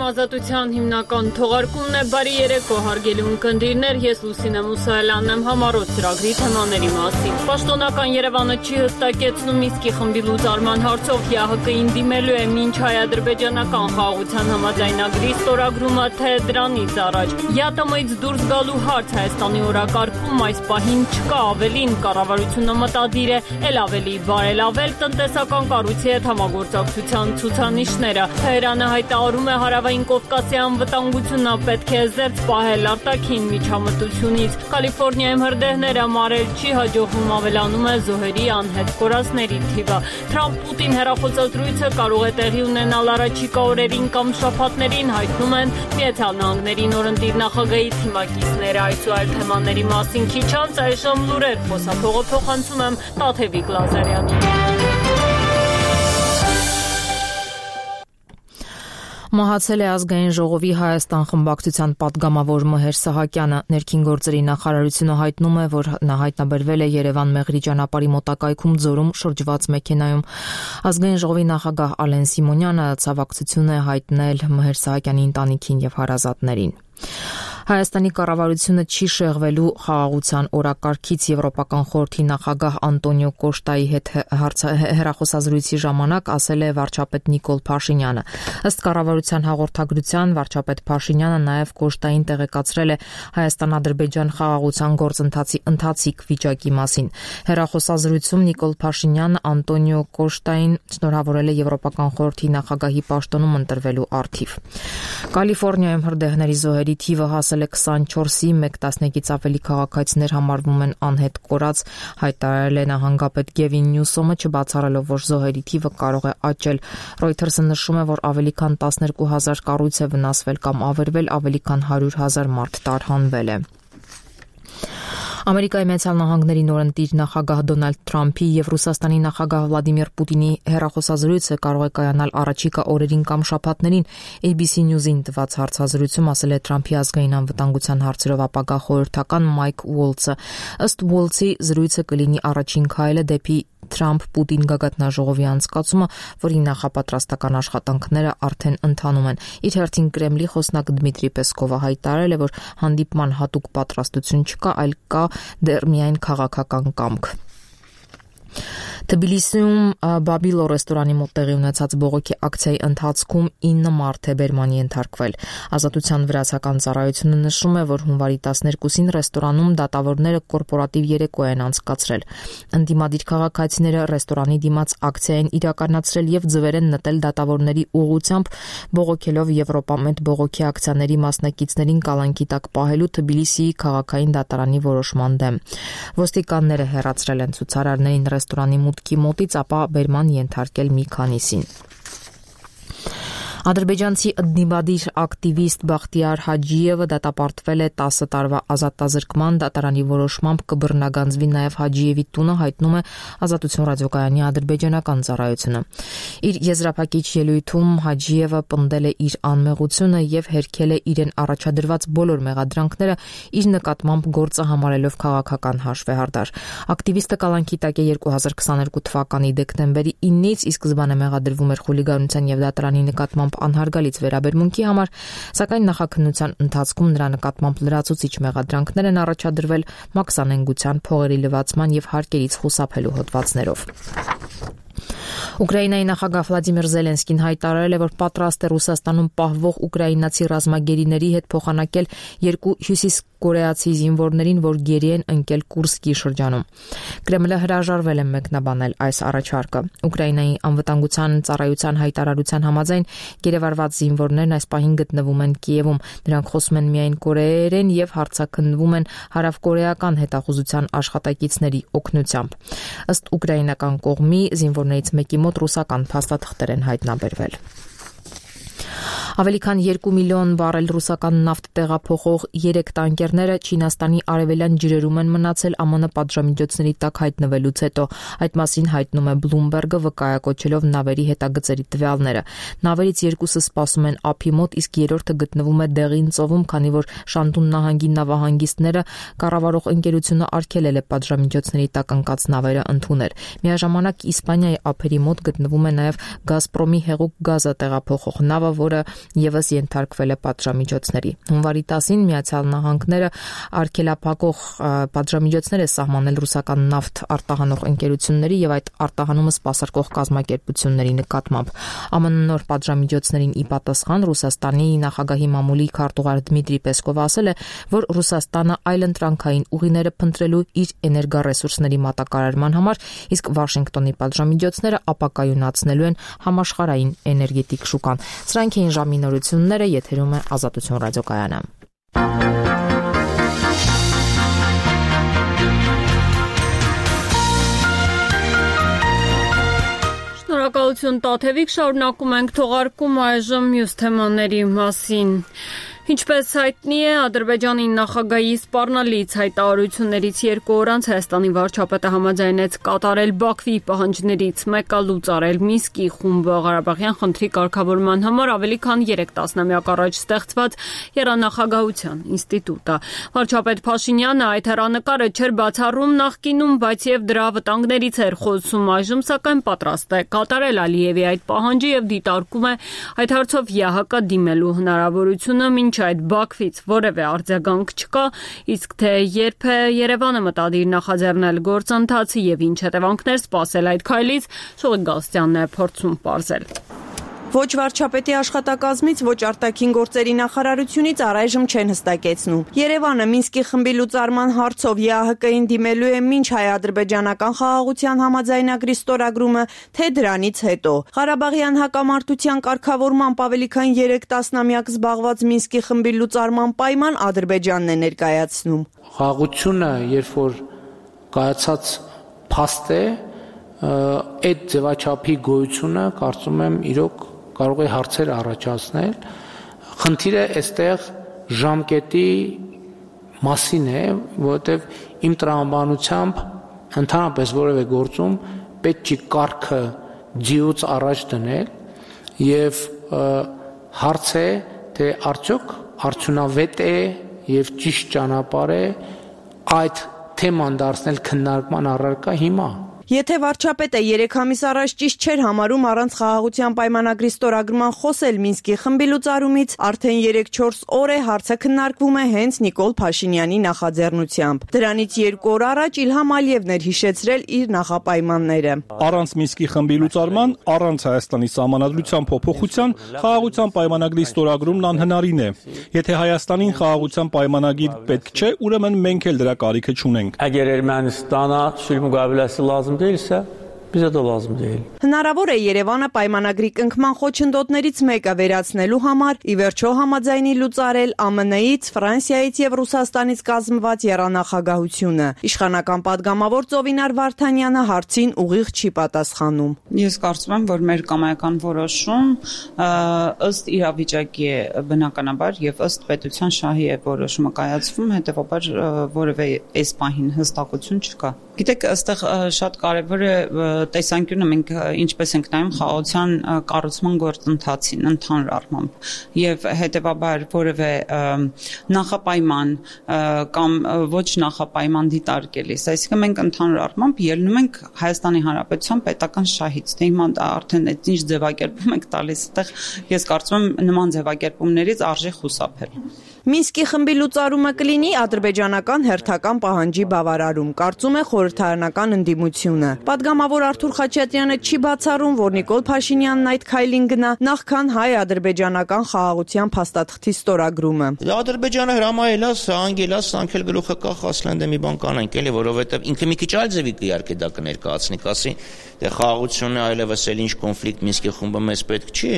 Ազատության հիմնական թողարկումն է բարի երեկո հարգելի ունկնդիրներ, ես Լուսինե Մուսայելյանն եմ համառոտ ծրագրի թեմաների մասին։ Պաշտոնական Երևանը չի հստակեցնում Մինսկի խմբի լուծարման հարցով ՀՀԿ-ին դիմելու է մինչ հայ-ադրբեջանական խաղաղության համաձայնագրի ստորագրումը, թե դրանից առաջ։ ԵԱՏՄ-ից դուրս գալու հարց Հայաստանի օրակարգում այս պահին չկա, ավելին կառավարությունը մտադիր է ել ավելի բարելավել տնտեսական կառույցի հետ համագործակցության ցուցանիշները։ Թեհրանը հայտարարում է Հարավային Կովկասի անվտանգությունը պետք է զերծ պահել արտաքին միջամտությունից։ Կալիֆոռնիայում հրդեհները մարել չի հաջողվում, ավելանում է զոհերի անհետ կորածների թիվը։ Թրամփ-Պուտին հեռախոսազրույցը կարող է տեղի ունենալ առաջիկա օրերին կամ շաբաթներին, հայտնում են Միացյալ Նահանգների նորընտիր նախագահի թիմակիցները։ Այս ու այլ թեմաների մասին քիչ անց այժմ լուրեր, խոսափողը փոխանցում եմ Տաթևիկ Լազարյանին։ Մահացել է Ազգային ժողովի Հայաստան խմբակցության պատգամավոր Մհեր Սահակյանը։ Ներքին գործերի նախարարությունը հայտնում է, որ նա հայտնաբերվել է Երևան-Մեղրի ճանապարհի մոտակայքում Ձորում շրջված մեքենայում։ Ազգային ժողովի նախագահ Ալեն Սիմոնյանը ցավակցություն է հայտնել Մհեր Սահակյանի ընտանիքին եւ հարազատներին։ Հայաստանի կառավարությունը չի շեղվելու խաղաղության օրակարգից Եվրոպական խորհրդի նախագահ Անտոնիո Կոշտայի հետ հեռախոսազրույցի ժամանակ ասել է վարչապետ Նիկոլ Փաշինյանը։ Ըստ կառավարության հաղորդագրության վարչապետ Փաշինյանը նաև Կոշտային տեղեկացրել է Հայաստան-Ադրբեջան խաղաղության գործընթացի ընթացիկ վիճակի մասին։ Հեռախոսազրույցում Նիկոլ Փաշինյանը Անտոնիո Կոշտային շնորհավորել է Եվրոպական խորհրդի նախագահի պաշտոնում ընտրվելու առթիվ։ Կալիֆոռնիայում հրդեհների զոհերի թիվը հասել է 24-ի, 1/10-ից ավելի քաղաքացիներ համարվում են անհետ կորած, հայտարարել է նահանգապետ Գևին Նյուսոմը, չբացառելով, որ զոհերի թիվը կարող է աճել։ Reuters-ը նշում է, որ ավելի քան 12,000 կառույց է վնասվել կամ ավերվել, ավելի քան 100,000 մարդ տարհանվել է։ Ամերիկայի Միացյալ Նահանգների նորընտիր նախագահ Դոնալդ Թրամփի եւ Ռուսաստանի նախագահ Վլադիմիր Պուտինի հեռախոսազրույցը կարող է կայանալ առաջիկա օրերին կամ շաբաթներին։ ABC News-ին տված հարցազրույցում ասել է Թրամփի ազգային անվտանգության հարցերով ապագա խորհրդական Մայք Ուոլցը։ Ըստ Ուոլցի զրույցը կլինի առաջին քայլը դեպի Թրամփ-Պուտին գագաթնաժողովի անցկացումը, որի նախապատրաստական աշխատանքները արդեն ընթանում են։ Իր հերթին Կրեմլի խոսնակ Դմիտրի Պեսկովը հայտարարել է, որ հանդիպման հատուկ պատրաստություն չկա, այլ կա դեռ միայն քաղաքական կամք։ Թբիլիսիում Բաբիլո ռեստորանի մոտ տեղի ունեցած բողոքի ակցիայի ընթացքում 9 մարդ է բերմանի ենթարկվել։ Ազատության վրացական ծառայությունը նշում է, որ հունվարի 12-ին ռեստորանում դատավորները կորպորատիվ երեկո են անցկացրել։ Ընդդիմադիր քաղաքացիները ռեստորանի դիմաց ակցիա են իրականացրել եւ ձվեր են նետել դատավորների ուղղությամբ, բողոքելով Եվրոպամետ բողոքի ակցիաների մասնակիցներին կալանքի տակ պահելու Թբիլիսիի քաղաքային դատարանի որոշման դեմ։ Ոստիկանները հեռացրել են ցուցարարներին ռեստորանի մուտքի մոտից, ապա բերման ենթարկել մի քանիսին։ Ադրբեջանցի ընդդիմադիր ակտիվիստ Բախտիար Հաջիևը դատապարտվել է 10 տարվա ազատազրկման, դատարանի որոշմամբ կբռնագանձվի նաև Հաջիևի տունը, հայտնում է Ազատություն ռադիոկայանի ադրբեջանական ծառայությունը։ Իր եզրափակիչ ելույթում Հաջիևը պնդել է իր անմեղությունը եւ հերքել է իրեն առաջադրված բոլոր մեղադրանքները, իր նկատմամբ գործը համարելով քաղաքական հաշվեհարդար։ Ակտիվիստը կալանքի տակ է 2022 թվականի դեկտեմբերի 9-ից, իսկ սկզբանե մեղադրվում էր խուլիգանության եւ դատարանի նկատմամբ անհարգալից վերաբերմունքի համար, սակայն նախաքննության ընթացքում նրա նկատմամբ լրացուցիչ մեղադրանքներ են առաջադրվել մաքսանենգության, փողերի լվացման եւ հարկերից խուսափելու հոդվածներով։ Ուկրաինայի նախագահ Վլադիմիր Զելենսկին հայտարարել է, որ պատրաստ է Ռուսաստանում պահվող ուկրաինացի ռազմագերիների հետ փոխանակել 2 հյուսիսկորեացի զինվորներին, որ գերի են ընկել Կուրսկի շրջանում։ Կրեմլը հրաժարվել է մեկնաբանել այս առաջարկը։ Ուկրաինայի անվտանգության ծառայության հայտարարության համաձայն գերեվարված զինվորներն այս պահին գտնվում են Կիևում։ Նրանք խոսում են միայն կորեերեն եւ հարձակնվում են հարավկորեական հետախուզության աշխատակիցների օգնությամբ։ Ըստ ուկրաինական կողմի զինվորներից մեկի մոտ ռուսական փաստաթղթեր են հայտնաբերվել։ Ավելի քան 2 միլիոն բարել ռուսական նավթ տեղափոխող 3 տանկերները Չինաստանի արևելյան ջրերում են մնացել ԱՄՆ պատժամիջոցների տակ հայտնվելուց հետո։ Այդ մասին հայտնում է Bloomberg-ը, վկայակոչելով նավերի հետագծերի տվյալները։ Նավերից 2-ը սպասում են ափի մոտ, իսկ 3-ը գտնվում է Դեղին ծովում, քանի որ Շանտուն նահանգի նավահանգիստները կառավարող ընկերությունը արգելել է պատժամիջոցների տակ ընկած նավերը ընդունել։ Միաժամանակ Իսպանիայի ափերի մոտ գտնվում է նաև Գազպրոմի հեղուկ գազը տեղափոխող նավը, որը եւս ենթարկվել է պատժամիջոցների։ Հունվարի 10-ին Միացյալ Նահանգները արգելափակող պատժամիջոցներ է սահմանել ռուսական նավթ արտահանող ընկերությունների եւ այդ արտահանումը սպասարկող կազմակերպությունների նկատմամբ։ ԱՄՆ նոր պատժամիջոցներին ի պատասխան Ռուսաստանի նախագահի մամուլի քարտուղար Դմիտրի Պեսկովը ասել է, որ Ռուսաստանը այլընտրանքային ուղիները փնտրելու իր էներգառեսուրսների մատակարարման համար, իսկ Վաշինգտոնի պատժամիջոցները ապակայունացնելու են համաշխարհային էներգետիկ շուկան։ Սրանք էին ժամի նորությունները, եթերում է Ազատություն ռադիոկայանը։ Շնորհակալություն Տաթևիկ, շարունակում ենք թողարկում այժմ մյուս թեմաների մասին։ Ինչպես հայտնի է, Ադրբեջանի նախագահի սպառնալից հայտարարություններից 2 օր անց Հայաստանի վարչապետը համաձայնեց կատարել Բաքվի պահանջներից մեկը լուծարել Մինսկի խումբը Ղարաբաղյան խնդրի կարգավորման համար ավելի քան 3 տասնամյակ առաջ ստեղծված Երանախագահության ինստիտուտը։ Վարչապետ Փաշինյանը այդ հեռանկարը չէր բացառում նախկինում, բայց եւ դրա վտանգներից էր խոսում այժմ, սակայն պատրաստ է կատարել Ալիևի այդ պահանջը եւ դիտարկում է այդ հարցով ՀՀԿ դիմելու հնարավորությունը, մինչ այդ Բաքվից որևէ արձագանք չկա, իսկ թե երբ է Երևանը մտադիր նախաձեռնել գործընթացը եւ ինչ հետևանքներ սպասել այդ քայլից, Շուռիկ Գալստյանն է փորձում պարզել։ Ոչ վարչապետի աշխատակազմից, ոչ արտաքին գործերի նախարարությունից առայժմ չեն հստակեցնում։ Երևանը Մինսկի խմբի լուծարման հարցով ԵԱՀԿ-ին դիմելու է մինչ հայ-ադրբեջանական խաղաղության համաձայնագրի ստորագրումը, թե դրանից հետո։ Ղարաբաղյան հակամարտության կարգավորմամբ ավելի քան 3 տասնամյակ զբաղված Մինսկի խմբի լուծարման պայման Ադրբեջանն է ներկայացնում։ Խաղաղությունը, երբ որ կայացած փաստ է, այդ ձևաչափի գոյությունը կարծում եմ իրոք կարող է հարցեր առաջացնել։ Խնդիրը այստեղ ժամկետի մասին է, որովհետև իմ տրամաբանությամբ ընդհանրապես որևէ գործում պետք չի կարգը ձիուց առաջ դնել եւ հարց է, թե արդյոք արդյունավետ է եւ ճիշտ ճանապարհ է այդ թեման դարձնել քննարկման առարկա հիմա։ Եթե վարչապետը 3 ամիս առաջ ճիշտ չէր համարում առանց խաղաղության պայմանագրի ստորագրման խոսել Մինսկի խմբի լուծարումից, արդեն 3-4 օր է հարցը քննարկվում է հենց Նիկոլ Փաշինյանի նախաձեռնությամբ։ Դրանից 2 օր առաջ Իլհամ Ալիևն էր հիշեցրել իր նախապայմանները։ Առանց Մինսկի խմբի լուծարման, առանց Հայաստանի սահմանադրության փոփոխության, խաղաղության պայմանագրի ստորագրումն անհնարին է։ Եթե Հայաստանին խաղաղության պայմանագիր պետք չէ, ուրեմն մենք էլ դրա կարիքը չունենք։ Əgər Ermənistana sülh müqaviləsi lazım deyilsə, bizə də lazım deyil։ Հնարավոր է Երևանը պայմանագրի կնքման խոչընդոտներից մեկը վերացնելու համար ի վերջո համաձայնի լուծարել ԱՄՆ-ից, Ֆրանսիայից եւ Ռուսաստանից կազմված եռանախագահությունը։ Իշխանական падգամավոր Ծովինար Վարդանյանը հարցին ուղիղ չի պատասխանում։ Ես կարծում եմ, որ մեր կամայական որոշում ըստ իրավիճակի է բնականաբար եւ ըստ պետության շահի է որոշումը կայացվում, հետեւաբար որևէ այս պահին հստակություն չկա։ Գիտեք, այստեղ շատ կարևոր է տեսանկյունը մենք ինչպես ենք նայում խաղաղության կառուցման գործընթացին ընդհանուր առմամբ եւ հետեւաբար որևէ նախապայման կամ ոչ նախապայման դիտարկելիս, այսինքն մենք ընդհանուր առմամբ ելնում ենք Հայաստանի Հանրապետության պետական շահից, թե հիմա արդեն այդ ինչ ձևակերպում եք տալիս, այդտեղ ես կարծում եմ նման ձևակերպումներից արժի խուսափել։ Մինսկի խմբի լուծարումը կլինի ադրբեջանական հերթական պահանջի բավարարում, կարծում է խորհրդարանական ընդդիմությունը։ Պատգամավոր Արթուր Խաչատրյանը չի բացառում, որ Նիկոլ Փաշինյանն այդ քայլին գնա նախքան հայ-ադրբեջանական խաղաղության փաստաթղթի ստորագրումը։ Ադրբեջանը հրամայել է, անգել է, սանքել գլուխը կախ ասլանդը մի բան կանենք, էլի, որովհետև ինքը մի քիչ այլ ձևի իհարկե դա կներկայացնի, ասի, դե խաղաղությունը այլևս էլ ինչ կոնֆլիկտ Մինսկի խումբը մեզ պետք չի։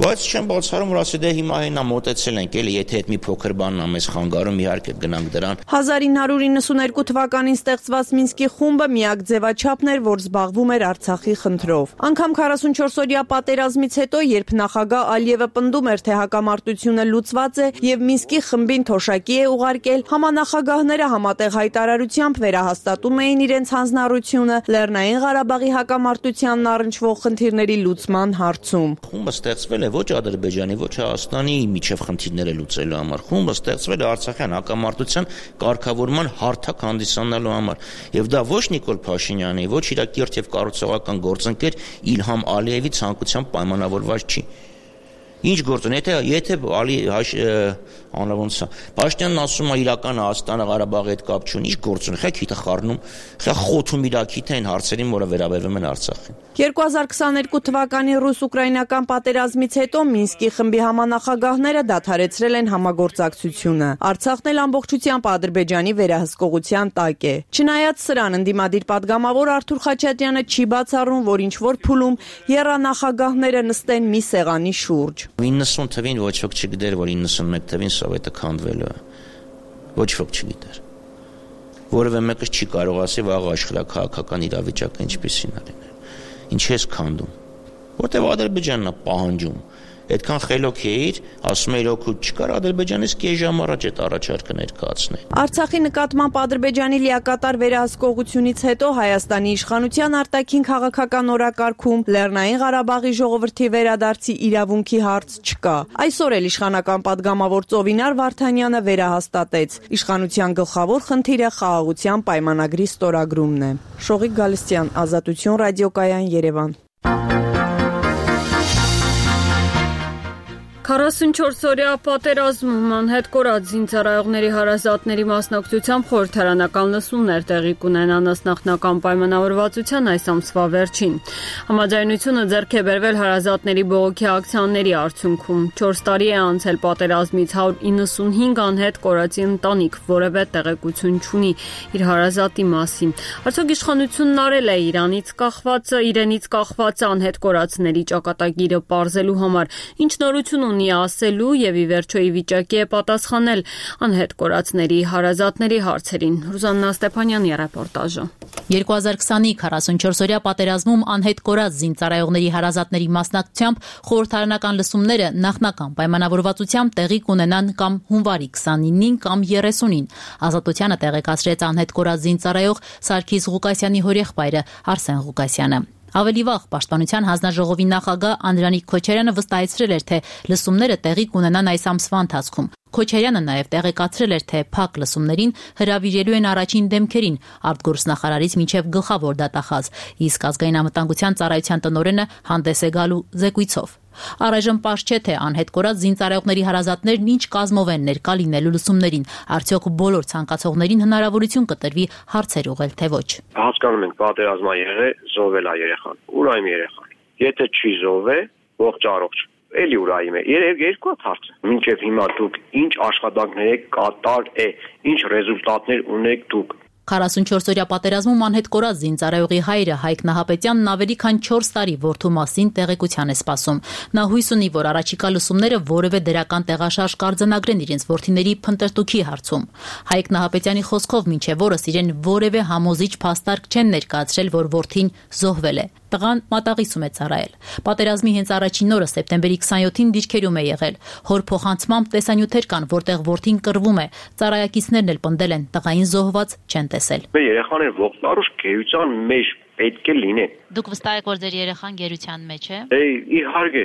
Բայց չեմ բացառում, որ ասի դե հիմա հենա մոտեցել ենք, էլի, եթե այդ մի փոքր բանն ամես խանգարում, իհարկե գնանք դրան։ 1992 թվականին ստեղծված Մինսկի խումբը միակ ձևաչափն էր, որ զբաղվում էր Արցախի խնդրով։ Անգամ 44-օրյա պատերազմից հետո, երբ նախագահ Ալիևը պնդում էր, թե հակամարտությունը լուծված է եւ Մինսկի խմբին թոշակի է ուղարկել, համանախագահները համատեղ հայտարարությամբ վերահաստատում էին իրենց հանձնառությունը Լեռնային Ղարաբաղի հակամարտությանն առնչվող խնդիրների լուծման հարցում։ Խումբը ստեղծվել է ոչ Ադրբեջանի, ոչ Հայաստանի միջև խնդիրները լուծելու համար։ Խումբը ստեղծվել է Արցախյան հակամարտության կարգավորման հարթակ հանդիսանալու համար։ Եվ դա ոչ Նիկոլ Փաշինյանի, ոչ իր կիրթ եւ կառուցողական գործընկեր Իլհամ Ալիևի ցանկությամբ պայմանավորված չի։ Ինչ գործ ունի, եթե անավոնցա Փաշինյանն ասում է իրական Հայաստանը Ղարաբաղի հետ կապ չունի, ինչ գործ ունի, խա քիթը խառնում, խա խոթում իր քիթը այն հարցերին, որը վերաբերվում են Արցախին։ 2022 թվականի ռուս-ուկրաինական պատերազմից հետո Մինսկի խմբի համանախագահները դադարեցրել են համագործակցությունը։ Արցախն էլ ամբողջությամբ Ադրբեջանի վերահսկողության տակ է։ Չնայած սրան, ընդդիմադիր падգամավոր Արթուր Խաչատրյանը չի բացառում, որ ինչ-որ փուլում եռանախագահները նստեն մի սեղանի շուրջ։ 90 թվին ոչ ոք չգիտեր, որ 91 թվին Սովետը քանդվելու է։ Ոչ ոք չգիտեր։ Որևէ մեկը չի կարող ասի վաղ աշխարհակահաղական իրավիճակը ինչպիսին է լինել։ Ինչ ես քանդում։ Որտեւ Ադրբեջանն է պահանջում։ Այդքան խելոք էիր, ասում էիր օգուտ չկար, Ադրբեջանից կես ժամ առաջ այդ առաջարկը ներկայացնել։ Արցախի նկատմամբ Ադրբեջանի լիակատար վերահսկողությունից հետո Հայաստանի իշխանության արտաքին քաղաքական օրակարգում Լեռնային Ղարաբաղի ժողովրդի վերադարձի իրավունքի հարց չկա։ Այսօր էլ իշխանական падգամավոր Ծովինար Վարդանյանը վերահաստատեց. իշխանության գլխավոր խնդիրը խաղաղության պայմանագրի ստորագրումն է։ Շողիկ Գալստյան, Ազատություն ռադիոկայան, Երևան։ 44-օրյա պատերազմում անհետ կորած զինծառայողների հարազատների մասնակցությամբ խորհրդարանական լսումներ տեղի կունենան ըստ նախնական պայմանավորվածության այս ամսվա վերջին։ Համաձայնությունը ձեռք է բերվել հարազատների բողոքի ակցիաների արդյունքում։ 4 տարի է անցել պատերազմից, 195 անհետ կորածի ընտանիք որևէ տեղեկություն չունի իր հարազատի մասին։ Արդյոք իշխանությունն արել է իրենից կախված անհետ կորածների ճակատագիրը պարզելու համար ինչ նորություն ունի ասելու եւ ի վերջո ի վիճակի է պատասխանել անհետ կորածների հարազատների հարցերին։ Ռուզաննա Ստեփանյանի ռեպորտաժը։ 2020-ի 44-օրյա պատերազմում անհետ կորած զինծառայողների հարազատների մասնակցությամբ խորհրդարանական լսումները նախնական պայմանավորվածությամբ տեղի կունենան կամ հունվարի 29-ին կամ 30-ին։ Ազատությանը տեղեկացրեց անհետ կորած զինծառայող Սարգիս Ղուկասյանի հորեղբայրը Արսեն Ղուկասյանը։ Ավելի վաղ Պաշտպանության հանձնաժողովի նախագահ Անդրանիկ Քոչարյանը վստահեցրել էր, թե լսումները տեղի կունենան այս ամսվա ընթացքում։ Քոչարյանը նաև տեղեկացրել էր, թե փակ լսումներին հրավիրելու են առաջին դեմքերին արտգործնախարարից մինչև գլխավոր դատախազ, իսկ ազգային անվտանգության ծառայության տնօրենը հանդես է գալու զեկույցով։ Առայժմ պարզ չէ, թե անհետ կորած զինծառայողների հարազատներն ինչ կազմով են ներկա լինելու լսումներին, արդյոք բոլոր ցանկացողներին հնարավորություն կտրվի հարցեր ուղղել, թե ոչ։ Հասկանում ենք, պատերազմա եղել, զոհվել է երեխան։ Ուր է իմ երեխան։ Եթե չի զոհվել, ողջ առողջ։ Էլի ուր է իմ է։ Երկու հարց է։ Մինչև հիմա դուք ինչ աշխատանքներ եք կատարել, ինչ ռեզուլտատներ ունեք դուք։ 44-օրյա պատերազմում անհետ կորած զինծառայողի հայրը Հայկ Նահապետյանն ավելի քան 4 տարի որդու մասին տեղեկության է սպասում։ Նա հույս ունի, որ առաջիկա լսումները որևէ դրական տեղաշարժ կարձանագրեն իրենց որդիների փնտրտուքի հարցում։ Հայկ Նահապետյանի խոսքով մինչև օրս իրեն որևէ համոզիչ փաստարկ չեն ներկայացրել, որ որդին զոհվել է։ Տղան մատաղիսում է ծառայել։ Պատերազմի հենց առաջին օրը սեպտեմբերի 27-ին դիրքերում է եղել։ Հոր փոխանցմամբ տեսանյութեր կան, որտեղ որդին կռվում է։ Ծառայակիցներն էլ պնդել են, տղային զոհված չեն տեսել։ Մեր երեխաները ողջարուշ գերության մեջ պետք է լինեն։ Դուք վստահ եք, որ ձեր երեխան գերության մեջ է։ Իհարկե,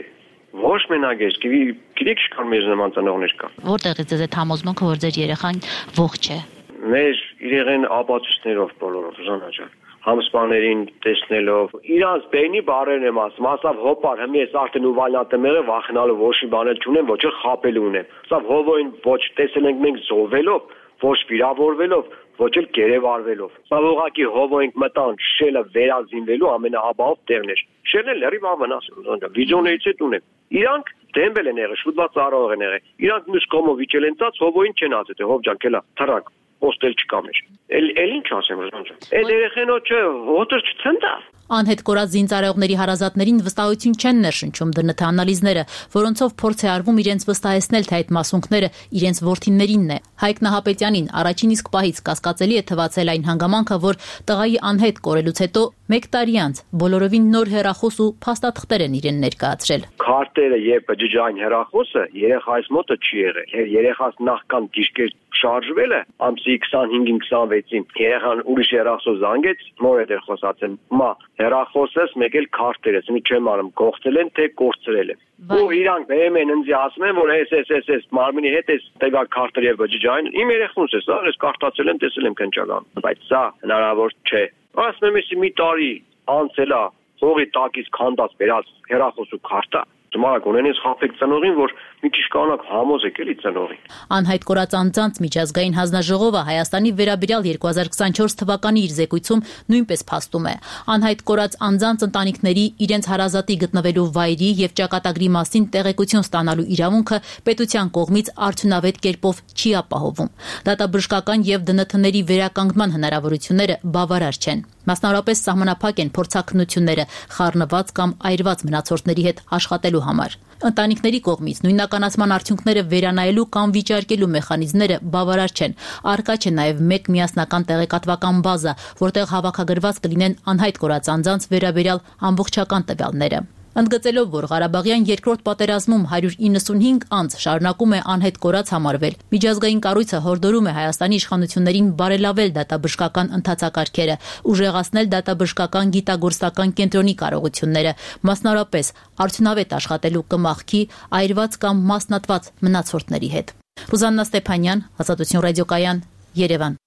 ոչ մենակ ես, գիտեք ինչքան մեզ նման ծնողներ կան։ Որտեղից է այդ համոզմունքը, որ ձեր երեխան ողջ է։ Մեր իրեղեն ապացույցներով բոլորով, Ժանա ջան։ Համսպաներին տեսնելով, իրանց բեյնի բարերն եմ ասում, ասավ հոպար, հմի ես արդեն ուվալյատը մեղը վախենալու ոչի բանել չունեմ, ոչ էլ խապելու ունեմ։ Ասավ հովոյին ոչ տեսել ենք մենք զոհվելով, ոչ վիրավորվելով, ոչ էլ գերեվարվելով։ Սա ուղղակի հովոյինք մտան շելը վերազինվելու ամենահաբահով տեղն էր։ Շելն լրիվ ավնասում, վիդեոներից հետ ունեմ։ Իրանք դեմբել են եղել, շուտված ծառայող են եղել։ Իրանք մյուս կողմով իջել են ծած, հովոյին չեն ասել, թե հով ջան, կելա, թռակ, ոստել չկա մեր։ Էլ ինչ ասեմ, Ժան ջան։ Այդ երեխենո չէ, ոտր չցնտա։ Անհետ կորած զինծառայողների հարազատներին վստահություն չեն ներշնչում ԴՆԹ անալիզները, որոնցով փորձ է արվում իրենց վստահեցնել, թե այդ մասունքները իրենց որդիներինն է։ Հայկ Նահապետյանին առաջին իսկ պահից կասկածելի է թվացել այն հանգամանքը, որ տղայի անհետ կորելուց հետո 1 տարի անց բոլորովին նոր հեռախոս ու փաստաթղթեր են իրեն ներկայացրել։ Քարտերը եւ բջջային հեռախոսը երեխայիս մոտը չի եղել։ Երեխաս նախքան դիրքեր շարժվել է, ամսի 25-ին 26-ին երեխան ուրիշ հեռախոս զանգեց, նոր էր խոսացել։ Մա հեռախոսս մեկ էլ քարտերս, ինձ չեմ անում, կողցել են թե կորցրել են։ Ու իրանք բերում են ինձ ասում են, որ էս մարմինի հետ էս տեգա քարտեր եւ բջջային, իմ երեխունս է, սա ես կարդացել եմ, տեսել եմ քնչական, բայց սա հնարավոր չէ։ Ասում եմ, մի տարի անցել է, հողի տակից քանդած վերած հեռախոս ու քարտա, Ճմարակ ունենես խափեք ծնողին, որ մի քիչ կանակ համոզեք էլի ծնողին։ Անհայտ կորած անձանց միջազգային հանձնաժողովը Հայաստանի վերաբերյալ 2024 թվականի իր զեկույցում նույնպես փաստում է. անհայտ կորած անձանց ընտանիքների իրենց հարազատի գտնվելու վայրի եւ ճակատագրի մասին տեղեկություն ստանալու իրավունքը պետության կողմից արդյունավետ կերպով չի ապահովում։ Դատաբժշկական եւ ԴՆԹ-ների վերականգնման հնարավորությունները բավարար չեն։ Մասնավորապես սահմանափակ են փորձաքննությունները խառնված կամ այրված մնացորդների հետ աշխատելու համար։ Ընտանիքների կողմից նույնականացման արդյունքները վերանայելու կամ վիճարկելու մեխանիզմները բավարար չեն։ Առկա չէ նաև մեկ միասնական տեղեկատվական բազա, որտեղ հավաքագրված կլինեն անհայտ կորած անձանց վերաբերյալ ամբողջական տվյալները։ Ընդգծելով, որ Ղարաբաղյան երկրորդ պատերազմում 195 անձ շարունակում է անհետ կորած համարվել, միջազգային կառույցը հորդորում է Հայաստանի իշխանություններին բարելավել դատաբժշկական ընթացակարգերը, ուժեղացնել դատաբժշկական գիտագործական կենտրոնի կարողությունները, մասնավորապես արդյունավետ աշխատելու կմախքի, այրված կամ մասնատված մնացորդների հետ։ Ռուզաննա Ստեփանյան, Ազատություն ռադիոկայան, Երևան։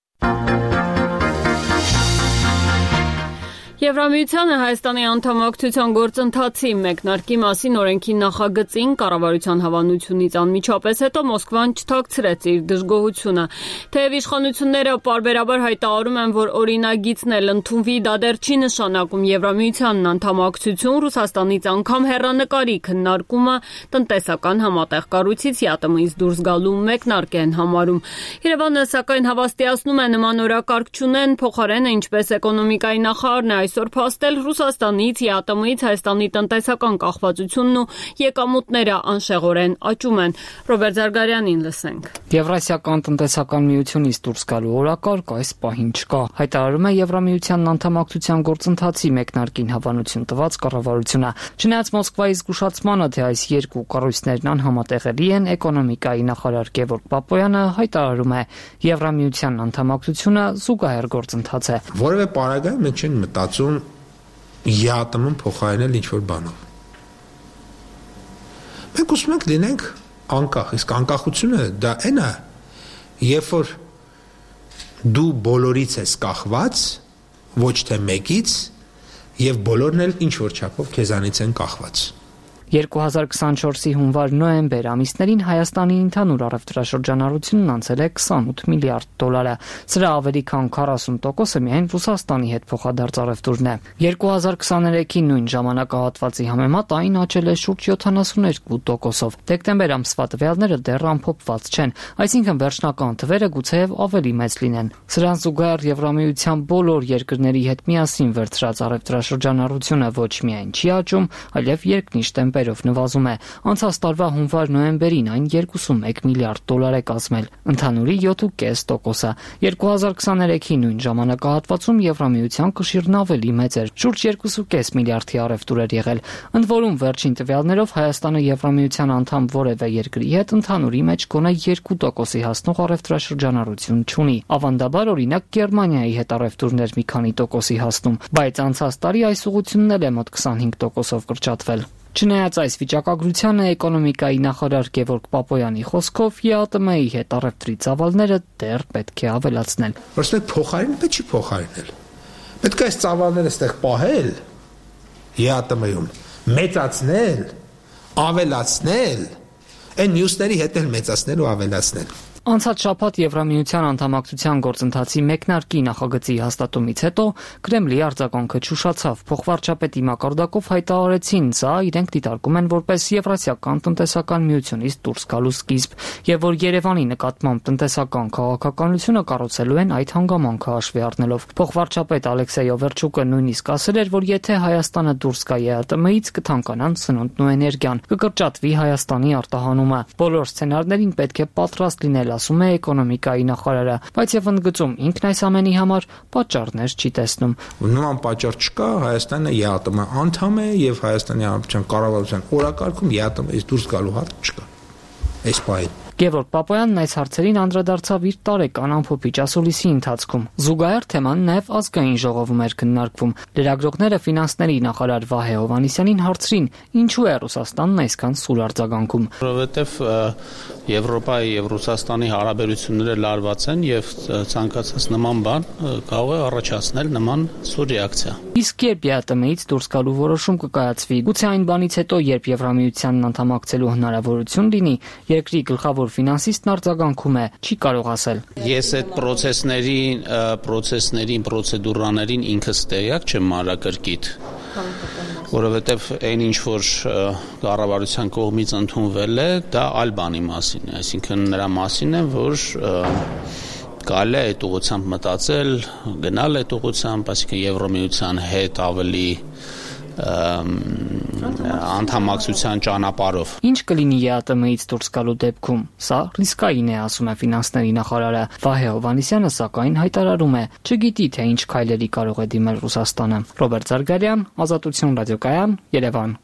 Եվրամիությանը Հայաստանի անդամակցության գործընթացի մեկնարկի մասին օրենքի նախագծին կառավարության հավանությունից անմիջապես հետո Մոսկվան չթաքցրեց իր դժգոհությունը։ Թեև իշխանությունները պարբերաբար հայտարարում են, որ օրինագիծն էլ ընդունվի, դա դեռ չի նշանակում Եվրամիությանն անդամակցություն, Ռուսաստանից անգամ հեռանկարի քննարկումը տնտեսական համատեղ կառույցից ԵԱՏՄ-ից դուրս գալու մեկնարկ են համարում։ Երևանը սակայն հավաստիացնում է նման օրակարգ չունեն, փոխարենը ինչպես էկոնոմիկայի նախարարն է այսօր փաստել Ռուսաստանից, ԵԱՏՄ-ից Հայաստանի տնտեսական կախվածությունն ու եկամուտները անշեղորեն աճում են։ Ռոբերտ Զարգարյանին լսենք։ Եվրասիական տնտեսական միությունից դուրս գալու օրակարգ այս պահին չկա, հայտարարում է Եվրամիությանն անդամակցության գործընթացի մեկնարկին հավանություն տված կառավարությունը։ Չնայած Մոսկվայի զգուշացմանը, թե այս երկու կառույցներն անհամատեղելի են, էկոնոմիկայի նախարար Գևորգ Պապոյանը հայտարարում է, Եվրամիության անդամակցությունը զուգահեռ գործընթաց է։ Որևէ պարագայում մենք չենք մտածում ԵԱՏՄ-ն փոխարինել ինչ-որ բանով։ Մենք ուզում ենք լինենք անկախ, իսկ անկախությունը դա այն է, երբ որ դու բոլորից ես կախված, ոչ թե մեկից, եւ բոլորն էլ ինչ-որ չափով քեզանից են կախված։ 2024-ի հունվար-նոյեմբեր ամիսներին Հայաստանի ընդհանուր առևտրաշրջանառությունն անցել է 28 միլիարդ դոլարը։ Սրա ավելի քան 40%-ը միայն Ռուսաստանի հետ փոխադարձ առևտուրն է։ 2023-ի նույն ժամանակահատվածի համեմատ այն աճել է շուրջ 72%-ով։ Դեկտեմբեր ամսվա տվյալները դեռ ամփոփված չեն, այսինքն վերջնական թվերը գուցեև ավելի մեծ լինեն։ Սրան զուգահեռ Եվրամիության բոլոր երկրների հետ միասին վերցրած առևտրաշրջանառությունը ոչ միայն չի աճում, այլև երկնիշ տեմպերով նվազում է։ Անցած տարվա հունվար-նոյեմբերին այն 31 միլիարդ դոլար է կազմել, ընդհանուրի 7.5%-ը։ 2023-ի նույն ժամանակահատվածում Եվրամիության կշիռն ավելի մեծ էր, շուրջ 2.5 միլիարդի առևտուր էր եղել։ Ընդ որում վերջին տվյալներով Հայաստանը Եվրամիության անդամ որևէ երկրի հետ ընդհանուրի մեջ գոնե 2%-ի հասնող առևտրաշրջանառություն չունի։ Ավանդաբար օրինակ Գերմանիայի հետ առևտուրներ մի քանի տոկոսի հասնում, բայց անցած տարի այս ուղղությունն էլ է մոտ 25%-ով կրճատվել։ Չնայած այս վիճակագրությանը էկոնոմիկայի նախարար Գևորգ Պապոյանի խոսքով ԵԱՏՄ-ի հետ առևտրի ծավալները դեռ պետք է ավելացնել։ Որտեղ փոխարինել պետք չի փոխարինել։ Պետք է այս ծավալները այստեղ պահել ԵԱՏՄ-ում, մեծացնել, ավելացնել, այն մյուսների հետ էլ մեծացնել ու ավելացնել։ Անցած շաբաթ Եվրամիության անդամակցության գործընթացի մեկնարկի նախագծի հաստատումից հետո Կրեմլի արձագանքը չուշացավ։ Փոխվարչապետի մակարդակով հայտարարեցին, սա իրենք դիտարկում են որպես Եվրասիական տնտեսական միությունից դուրս գալու սկիզբ, եւ որ Երևանի նկատմամբ տնտեսական քաղաքականությունը կառուցելու են այդ հանգամանքը հաշվի առնելով։ Փոխվարչապետ Ալեքսեյ Օվերչուկը նույնիսկ ասել էր, որ եթե Հայաստանը դուրս գա ԵԱՏՄ-ից, կթանկանան սնունդն ու էներգիան, կկրճատվի Հայաստանի արտահանումը։ Բոլոր սցենարներին պետք է պատրաստ լինել, ասում է էկոնոմիկայի նախարարը, բայց եւ ընդգծում ինքն այս ամենի համար պատճառներ չի տեսնում։ Նման պատճառ չկա, Հայաստանը ԵԱՏՄ անդամ է եւ Հայաստանի Հանրապետության կառավարության օրակարգում ԵԱՏՄ-ից դուրս գալու հարց չկա։ Այս պահին Գևորգ Պապոյանն այս հարցերին անդրադարձավ իր տարեկան ամփոփիչ ասուլիսի ընթացքում։ Զուգահեռ թեման նաև ազգային ժողովում էր քննարկվում։ Լրագրողները ֆինանսների նախարար Վահե Հովհաննիսյանին հարցրին, ինչու է Ռուսաստանն այսքան սուր արձագանքում։ Որովհետև Եվրոպայի եւ Ռուսաստանի հարաբերությունները լարված են եւ ցանկացած նման բան կարող է առաջացնել նման սուր ռեակցիա։ Իսկ երբ ԵԱՏՄ-ից դուրս գալու որոշում կկայացվի, գուցե այն բանից հետո, երբ Եվրամիությանն անդամակցելու հնարավորություն լինի, երկրի գլխավոր ֆինանսիստն արձագանքում է, չի կարող ասել։ Ես այդ պրոցեսներին ինքս տեղյակ չեմ մանրակրկիտ, որովհետև այն ինչ որ կառավարության կողմից ընդունվել է, դա այլ բանի մասին է, այսինքն նրա մասին է, որ կարելի է այդ ուղղությամբ մտածել, գնալ այդ ուղղությամբ, այսինքն Եվրամիության հետ ավելի անդամակցության ճանապարհով։ Ինչ կլինի ԵԱՏՄ-ից դուրս գալու դեպքում։ Սա ռիսկային է, ասում է ֆինանսների նախարարը Վահե Հովհաննիսյանը, սակայն հայտարարում է, չգիտի թե ինչ քայլերի կարող է դիմել Ռուսաստանը։ Ռոբերտ Զարգարյան, Ազատություն ռադիոկայան, Երևան։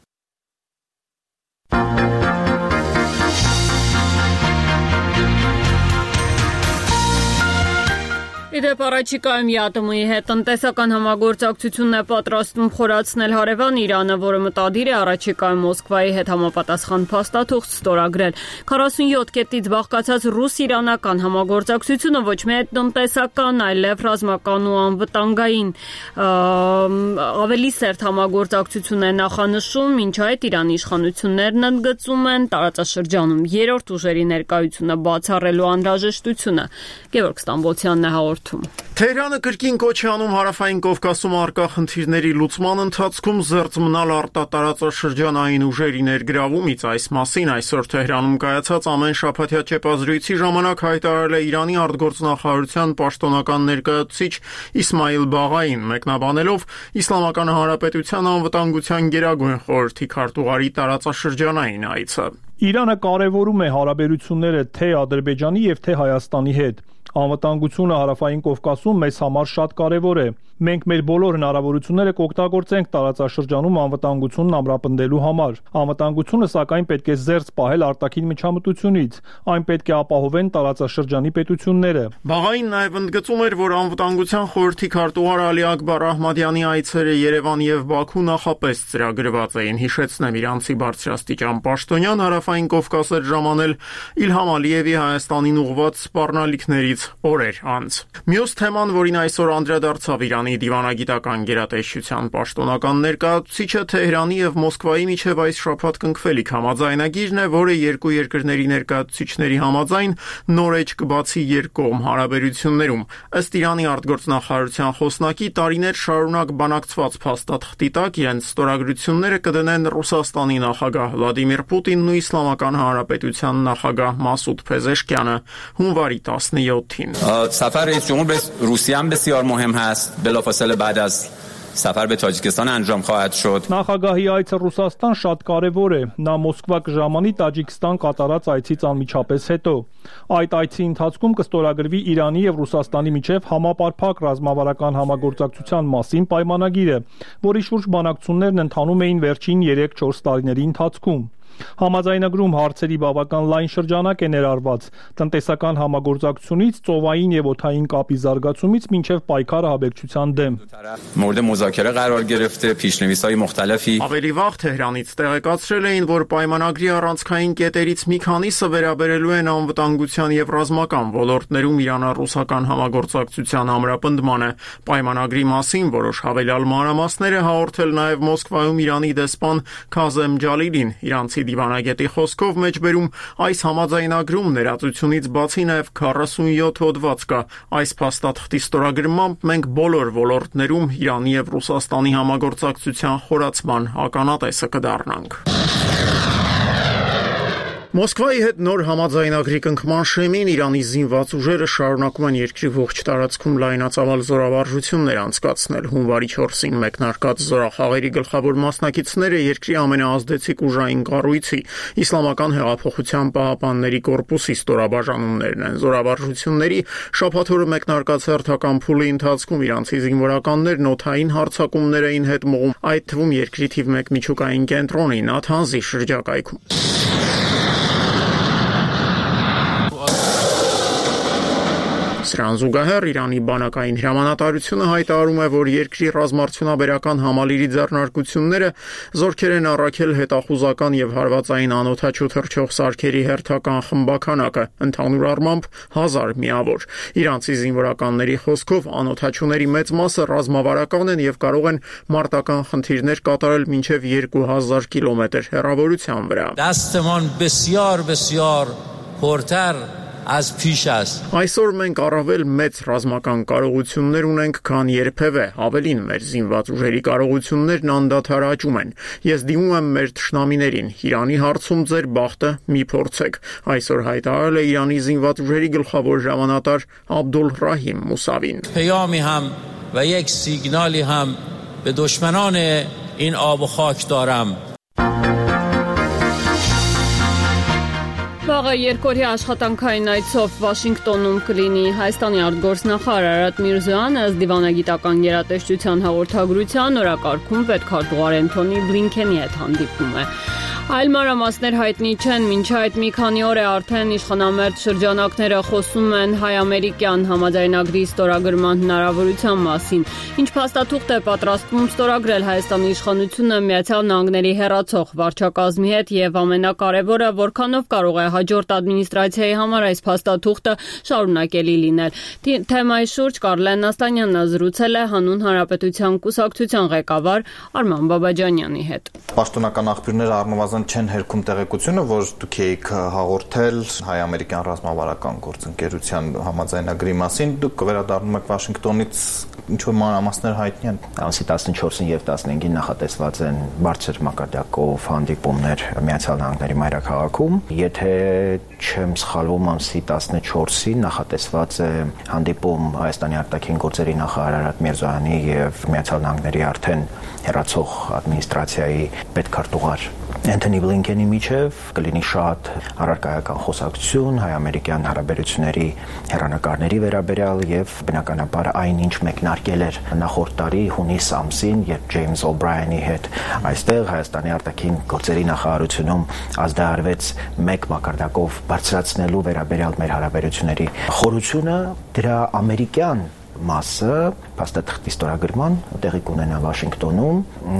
Իդեպ առաջիկայում ԵԱՏՄ-ի հետ տնտեսական համագործակցությունն է պատրաստվում խորացնել հարևան Իրանը, որը մտադիր է առաջիկայում Մոսկվայի հետ համապատասխան փաստաթուղթ ստորագրել։ 47 կետից բաղկացած ռուս-իրանական համագործակցությունը ոչ միայն տնտեսական, այլև ռազմական ու անվտանգային ավելի սերտ համագործակցություն է նախանշում, ինչ այդ Իրանի իշխանություններն ընդգծում են տարածաշրջանում երրորդ ուժերի ներկայությունը բացառելու անհրաժեշտությունը։ Գևորգ Ստամբոլցյանն է հաղորդում։ Թեհրանը կրկին կոչ է անում Հարավային Կովկասում առկա խնդիրների լուծման ընթացքում զերծ մնալ արտատարածաշրջանային ուժերի ներգրավումից։ Այս մասին այսօր Թեհրանում կայացած ամեն շաբաթյա ճեպազրույցի ժամանակ հայտարարել է Իրանի արտգործնախարարության պաշտոնական ներկայացուցիչ Իսմայիլ Բաղային, մեկնաբանելով Իսլամական Հանրապետության անվտանգության գերագույն խորհրդի քարտուղարի տարածաշրջանային այցը։ Իրանը կարևորում է հարաբերությունները թե Ադրբեջանի եւ թե Հայաստանի հետ։ Անվտանգությունը Հարավային Կովկասում մեզ համար շատ կարևոր է։ Մենք մեր բոլոր հնարավորությունները կօգտագործենք տարածաշրջանում անվտանգությունն ամրապնդելու համար։ Անվտանգությունը սակայն պետք է զերծ պահել արտաքին միջամտությունից։ Այն պետք է ապահովեն տարածաշրջանի պետությունները։ Բաղային նաև ընդգծում էր, որ անվտանգության խորհրդի քարտուղար Ալի Ակբար Ահմադյանի այցերը Երևան եւ Բաքու նախապես ծրագրված էին։ Հիշեցնեմ, իրանցի բարձրաստիճան պաշտոնյան Հարավային Կովկաս էր ժամանել Իլհամ Ալիևի Հայաստանին ուղղված սպառնալիքներից օրեր անց։ Մյուս թեման, որին այսօր անդրադարձավ Իրանի դիվանագիտական գերատեսչության պաշտոնական ներկայացուցիչը, Թեհրանի եւ Մոսկվայի միջև այս շաբաթ կնքվելիք համաձայնագիրն է, որը երկու երկրների ներկայացուցիչների համաձայն նոր էջ կբացի երկկողմ հարաբերություններում։ Ըստ Իրանի արտգործնախարարության խոսնակի, տարիներ շարունակ բանակցված փաստաթղթի տակ իրենց ստորագրությունները կդնեն Ռուսաստանի նախագահ Վլադիմիր Պուտինն ու Իսլամական Հանրապետության նախագահ Մասուդ Փեզեշկյանը հունվարի 17-ին։ سفر رئیس جمهور به روسیه هم بسیار مهم هست بلافاصله بعد از سفر به تاجیکستان انجام خواهد شد. Նախագահի այցը Ռուսաստան շատ կարևոր է։ Նա Մոսկվա կժամանի Տաջիկստան կատարած այցից անմիջապես հետո։ Այդ այցի ընթացքում կստորագրվի Իրանի եւ Ռուսաստանի միջև համապարփակ ռազմավարական համագործակցության մասին պայմանագիրը, որի շուրջ բանակցություններն ընթանում էին վերջին 3-4 տարիների ընթացքում։ Համաձայնագրում հարցերի բավական լայն շրջանակ է ներառված տնտեսական համագործակցությունից ծովային եւ օդային կապի զարգացումից մինչեւ պայքարը ահաբեկչության դեմ։ مورد مذاکره قرار گرفته پیش‌نویس‌های مختلفی Ավելի վաղ Թեհրանից տեղեկացրել էին, որ պայմանագրի առանցքային կետերից մի քանիսը վերաբերելու են անվտանգության եւ ռազմական ոլորտներում իրանա-ռուսական համագործակցության ամրապնդմանը։ Պայմանագրի մասին որոշ հավելյալ մանրամասներ է հաղորդել նաեւ Մոսկվայում Իրանի դեսպան Քազեմ Ջալիլին։ Իրանցի դիվանագետի խոսքով մեջբերում այս համաձայնագրում ներածությունից բացի նաև 47 հոդված կա։ Այս փաստաթղթի ստորագրմամբ մենք բոլոր ոլորտներում Իրանի եւ Ռուսաստանի համագործակցության խորացման ականատեսը կդառնանք։ Մոսկվայի հետ նոր համաձայնագրի կնքման շեմին Իրանի զինված ուժերը շարունակում են երկրի ողջ տարածքում լայնածավալ զորավարժություններ անցկացնել։ Հունվարի 4-ին մեկնարկած զորախաղերի գլխավոր մասնակիցները երկրի ամենաազդեցիկ ուժային կառույցի Իսլամական հեղափոխության պահապանների կորպուսի ստորաբաժանումներն են։ Զորավարժությունների շաբաթօրը մեկնարկած հերթական փուլի ընթացքում իրանցի զինվորականներն օդային հարձակումներ էին հետ մղում, այդ թվում երկրի թիվ 1 միջուկային կենտրոնի Նաթանզի շրջակայքում։ Սրան զուգահեռ Իրանի բանակային հրամանատարությունը հայտարարում է, որ երկրի ռազմարդյունաբերական համալիրի ձեռնարկությունները զորքեր են առաքել հետախուզական եւ հարվածային անօդաչու թռչող սարքերի հերթական խմբականակը, ընդհանուր առմամբ 1000 միավոր։ Իրանցի զինվորականների խոսքով անօդաչուների մեծ մասը ռազմավարական են եւ կարող են մարտական խնդիրներ կատարել մինչեւ 2000 կիլոմետր հեռավորության վրա։ Դաստման բեսյար փորտար as پیش است Այսօր մենք առավել մեծ ռազմական կարողություններ ունենք, քան երբևէ, ավելին մեր զինված ուժերի կարողություններն անդադար աճում են։ Ես դիմում եմ մեր թշնամիներին, Իրանի հարցում ձեր բախտը մի փորձեք։ Այսօր հայտարարել է Իրանի զինված ուժերի գլխավոր հրամանատար Աբդուլ Ռահիմ Մուսավին։ پیامی هم و یک سیگنالی هم به دشمنان این آب و خاک دارم Վաղը երկօրյա աշխատանքային այցով Վաշինգտոնում կլինի Հայաստանի արտգործնախարար Արարատ Միրզոյանը ըստ դիվանագիտական գերատեսչության հաղորդագրության օրակարգում պետքարտուղար Անթոնի Բլինքենի հետ հանդիպում է։ Այլ մանրամասներ հայտնի չեն, մինչ այդ մի քանի օր է արդեն իշխանամերձ շրջանակները խոսում են հայ-ամերիկյան համաձայնագրի ստորագրման հնարավորության մասին։ Ինչ փաստաթուղթ է պատրաստվում ստորագրել Հայաստանի իշխանությունը Միացյալ Նահանգների հեռացող վարչակազմի հետ եւ ամենակարևորը, որքանով կարող է հաջորդ ադմինիստրացիայի համար այս փաստաթուղթը շարունակելի լինել։ Թեմայի շուրջ Կարլեն Նաստանյանն զրուցել է Հանուն Հանրապետության կուսակցության ղեկավար Արման Բաբաջանյանի հետ։ Պաշտոնական աղբյուրները առնվազն չեն հերքում տեղեկությունը, որ դուք եք հաղորդել հայ-ամերիկյան ռազմավարական գործընկերության համաձայնագրի մասին, դուք վերադառնում եք Վաշինգտոնից, ինչ-որ մանրամասներ հայտնի են։ Ամսի 14-ին եւ 15-ին նախատեսված են բարձր մակարդակով հանդիպումներ Միացյալ Նահանգների մայրաքաղաքում։ Եթե չեմ սխալվում, ամսի 14-ին նախատեսված է հանդիպում Հայաստանի արտաքին գործերի նախարար Արարատ Միրզոյանի եւ Միացյալ Նահանգների արդեն հեռացող ադմինիստրացիայի պետքարտուղար Անթոնի Բլինքենի միջև կլինի շատ առարկայական խոսակցություն հայ-ամերիկյան հարաբերությունների հեռանկարների վերաբերյալ եւ բնականաբար այնինչ մեկնարկել էր նախորդ տարի հունիս ամսին, երբ Ջեյմս Օ'Բրայանի հետ այստեղ Հայաստանի արտաքին գործերի նախարարությունում ազդարարվեց մեկ մակարդակով բարձրացնելու վերաբերյալ մեր հարաբերությունների խորությունը, դրա ամերիկյան մասը փաստաթղթի ստորագրման տեղի կունենա Վաշինգտոնում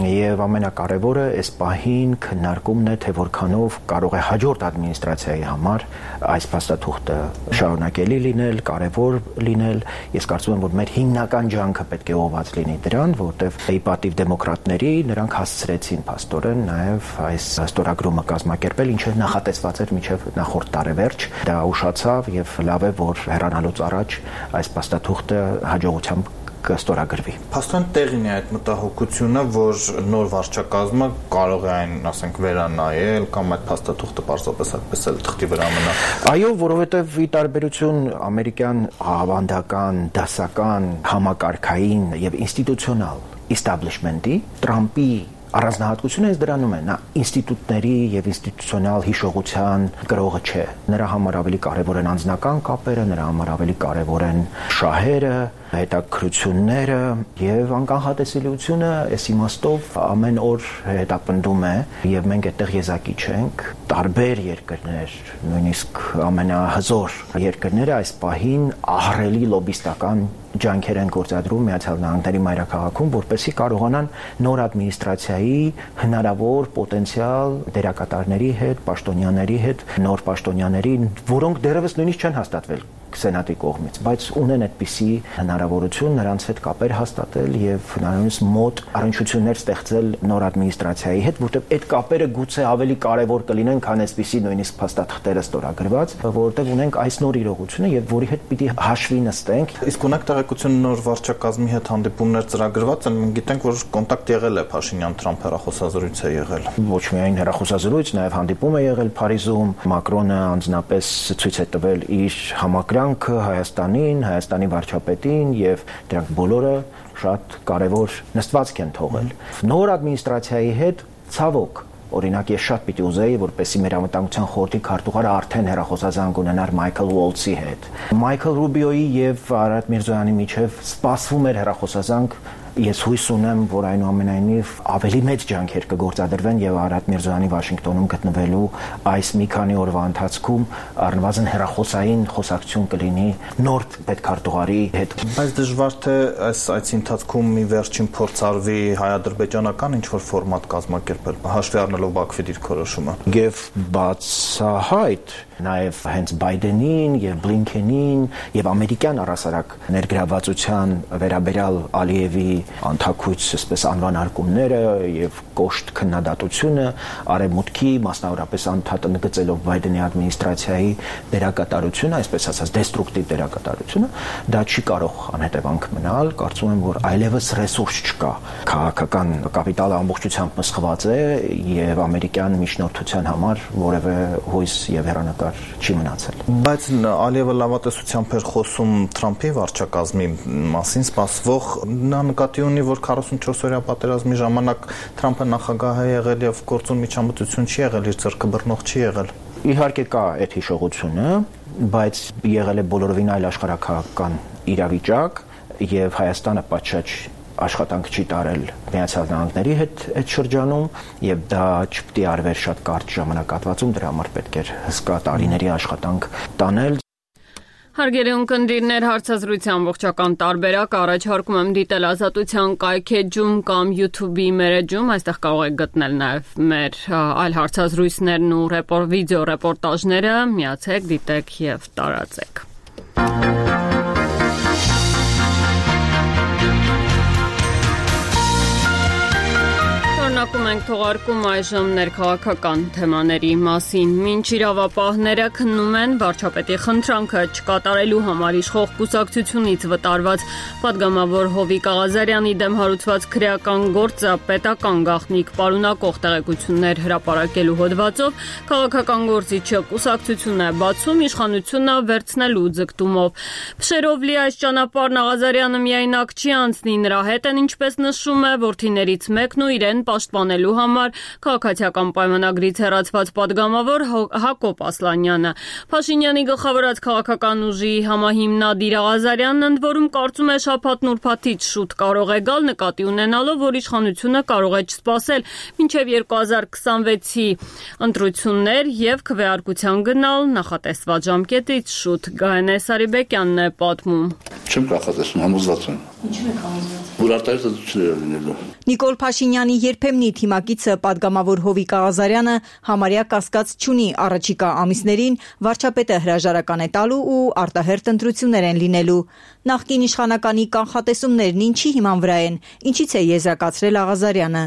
եւ ամենակարևորը այս պահին քննարկումն է թե որքանով կարող է հաջորդ ադմինիստրացիայի համար այս փաստաթուղթը շարունակելի լինել, կարևոր լինել։ Ես կարծում եմ, որ մեր հիմնական ջանքը պետք է ուղղված լինի դրան, որտեղ ի պատիվ դեմոկրատների նրանք հասցրեցին փաստորեն նաեւ այս ստորագրումը կազմակերպել, ինչը նախատեսված էր մինչեւ նախորդ տարեվերջ։ Դա ուշացավ եւ լավ է, որ հեռանալուց առաջ այս փաստաթուղթը հաջողությամբ կստորագրվի։ Փաստորեն տեղին է այդ մտահոգությունը, որ նոր վարչակազմը կարող է այն, ասենք, վերանայել կամ այդ փաստաթուղթը պարզապես այդպես էլ թղթի վրա մնա։ Այո, որովհետև ի տարբերություն ամերիկյան ավանդական, դասական, համակարգային եւ ինստիտուցիոնալ establishment-ի, Տրամպի առանձնահատկությունը այս դրանում է, նա ինստիտուտների եւ ինստիտուցիոնալ հիշողության գրողը չէ։ Նրա համար ավելի կարեւոր են անձնական կապերը, նրա համար ավելի կարեւոր են շահերը, հետաքրությունները եւ անկանխատեսելիությունը այս իմաստով ամեն օր հետապնդում է եւ մենք այդտեղ եզակի չենք։ Տարբեր երկրներ, նույնիսկ ամենահզոր երկրները այս պահին ահռելի լոբիստական ջանքեր են գործադրում Միացյալ Նահանգների մայրաքաղաքում, որպեսզի կարողանան նոր ադմինիստրացիայի հնարավոր պոտենցիալ դերակատարների հետ, պաշտոնյաների հետ, նոր պաշտոնյաների, որոնք դեռևս նույնիսկ չեն հաստատվել Սենատի կողմից, բայց ունեն այդպիսի հնարավորություն նրանց հետ կապեր հաստատել եւ հնարավորինս մոտ առնչություններ ստեղծել նոր ադմինիստրացիայի հետ, որտեղ այդ կապերը գուցե ավելի կարեւոր կլինեն, քան այսպիսի նույնիսկ փաստաթղթերը ստորագրված, որտեղ ունենք այս նոր իրողությունը եւ որի հետ պիտի հաշվի նստենք։ Իսկ ունեք տեղեկություն նոր վարչակազմի հետ հանդիպումներ ծրագրված են, մենք գիտենք, որ կոնտակտ եղել է Փաշինյան-Թրամփ հեռախոսազրույց է եղել։ Ոչ միայն հեռախոսազրույց, նաեւ հանդիպում է եղել Փարիզում, Մակրոնը անձնապես ցույց է տվել իր համակրանքը Հայաստանին, Հայաստանի վարչապետին եւ դրանք բոլորը շատ կարեւոր նստվածք են թողել։ Նոր ադմինիստրացիայի հետ ցավոք Օրինակ ես շատ պիտի ուզեի, որպեսզի մեր անվտանգության խորհրդի քարտուղարը արդեն հեռախոսազանգ ունենար Մայքլ Ուոլցի հետ։ Մայքլ Ռուբիոյի եւ Արարատ Միրզոյանի միջև սպասվում էր հեռախոսազանգ Ես հույս ունեմ, որ այնուամենայնիվ ավելի մեծ ջանքեր կգործադրվեն եւ Արարատ Միրզոյանի Վաշինգտոնում գտնվելու այս մի քանի օրվա ընթացքում առնվազն հեռախոսային խոսակցություն կլինի նոր պետքարտուղարի հետ։ Բայց դժվար թե այս այցի ընթացքում մի վերջին փորձ արվի հայ-ադրբեջանական ինչ-որ ֆորմատ կազմակերպել, հաշվի առնելով Բաքվի դիրքորոշումը։ Եվ բացահայտ նաև հենց Բայդենին եւ Բլինքենին եւ ամերիկյան առասարակ ներգրավվածության վերաբերյալ Ալիևի անթակույց այսպես անվանարկումները եւ կոշտ քննադատությունը արևմուտքի մասնավորապես անդադը նկատելով Բայդենի ադմինիստրացիայի դերակատարությունը, այսպես ասած դեստրուկտիվ դերակատարությունը, դա չի կարող անհետևանք մնալ, կարծում եմ, որ այլևս ռեսուրս չկա։ Քաղաքական կապիտալը ամբողջությամբ մսխված է եւ ամերիկյան միջնորդության համար որևէ հույս եւ հեռանկար չի մնացել։ Բայց Ալիևը լավատեսությամբ էր խոսում Թրամփի վարչակազմի մասին, սպասվող նա նկատի ունի, որ 44-օրյա պատերազմի ժամանակ Թրամփը նախագահ է եղել եւ գործուն միջամտություն չի եղել, իր ձեռքը բռնող չի եղել։ Իհարկե կա այդ հիշողությունը, բայց եղել է բոլորովին այլ աշխարհակաղակական իրավիճակ եւ Հայաստանը պատշաճ աշխատանք չի տարել Միացյալ Նահանգների հետ այդ շրջանում եւ դա չպետք է արվեր շատ կարճ ժամանակահատվածում, դրա համար պետք էր հսկա տարիների աշխատանք տանել։ Հարգելի ունկնդիրներ, հարցազրույցի ամբողջական տարբերակ առաջարկում եմ դիտել Ազատության կայքեջում կամ YouTube-ի մեր էջում, այստեղ կարող եք գտնել նաև մեր այլ հարցազրույցներն ու վիդեո ռեպորտաժները, միացեք, դիտեք եւ տարածեք։ Շարունակում ենք թողարկում այժմ ներքաղաքական թեմաների մասին։ Մինչ իրավապահները քննում են վարչապետի խնդրանքը չկատարելու համար իշխող կուսակցությունից վտարված պատգամավոր Հովիկ Աղազարյանի դեմ հարուցված քրեական գործը պետական գաղտնիք պարունակող տեղեկություններ հրապարակելու հոդվածով քաղաքական գործիչը կուսակցություն է բացում իշխանությունը վերցնելու ձգտումով։ Փշերով լի այս ճանապարհն Աղազարյանը միայնակ չի անցնի, նրա հետ են, ինչպես նշում է, որդիներից մեկն ու իրեն պաշտպանելու համար քաղաքացիական պայմանագրից հեռացված падգամավոր Հակոբ Ասլանյանը։ Փաշինյանի գլխավորած քաղաքական ուժի համահիմնադիր Աղազարյանն ընդ որում կարծում է շաբաթն ուրբաթից շուտ կարող է գալ, նկատի ունենալով, որ իշխանությունը կարող է չսպասել մինչև 2026-ի ընտրություններ եւ քվեարկության գնալ նախատեսված ժամկետից շուտ։ Գայանե Սարիբեկյանն է պատմում։ Չեմ կանխատեսում, համոզված եմ։ Ինչու եք համոզված։ Որ արտահայտություններ լինելու։ Նիկոլ Փաշինյանի երբեմնի թիմակիցը падգամավոր Հովիկ Աղազարյանը համարյա կասկած չունի առաջիկա ամիսներին վարչապետը հրաժարական է տալու ու արտահերթ ընտրություններ են լինելու։ Նախկին իշխանականի կանխատեսումներն ինչի հիման վրա են, ինչից է եզրակացրել Աղազարյանը։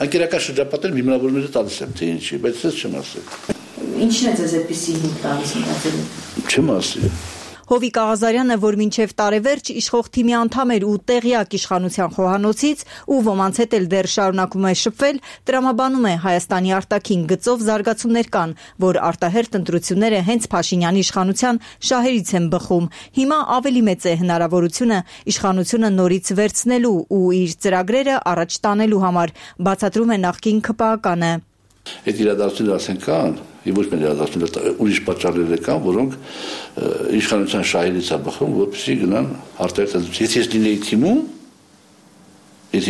Անկերական շրջապատել հիմնավորները տալիս եմ, թե ինչի, բայց ես չեմ ասել։ Ինչն է ձեզ այդպիսի հիմք տալիս մտածելու։ Չեմ ասել։ Հովիկ Աղազարյանը, որ մինչև տարեվերջ իշխող թիմի անդամ էր ու տեղյակ իշխանության խոհանոցից ու ոմանց հետ էլ դեռ շարունակում է շփվել, տրամաբանում է Հայաստանի արտաքին գծով զարգացումներ կան, որ արտահերթ ընտրությունները հենց Փաշինյանի իշխանության շահերից են բխում։ Հիմա ավելի մեծ է հնարավորությունը իշխանությունը նորից վերցնելու ու իր ծրագրերը առաջ տանելու համար, բացատրում է նախկին ՔՊԱ-կանը։ Այդ իրադարձությունները ասեն կան, եւ ոչ միայն իրադարձությունները, ուրիշ պատճառներ կան, որոնք իշխանության շահերից է բխում, որպեսզի գնան արտահերթ։ Եթե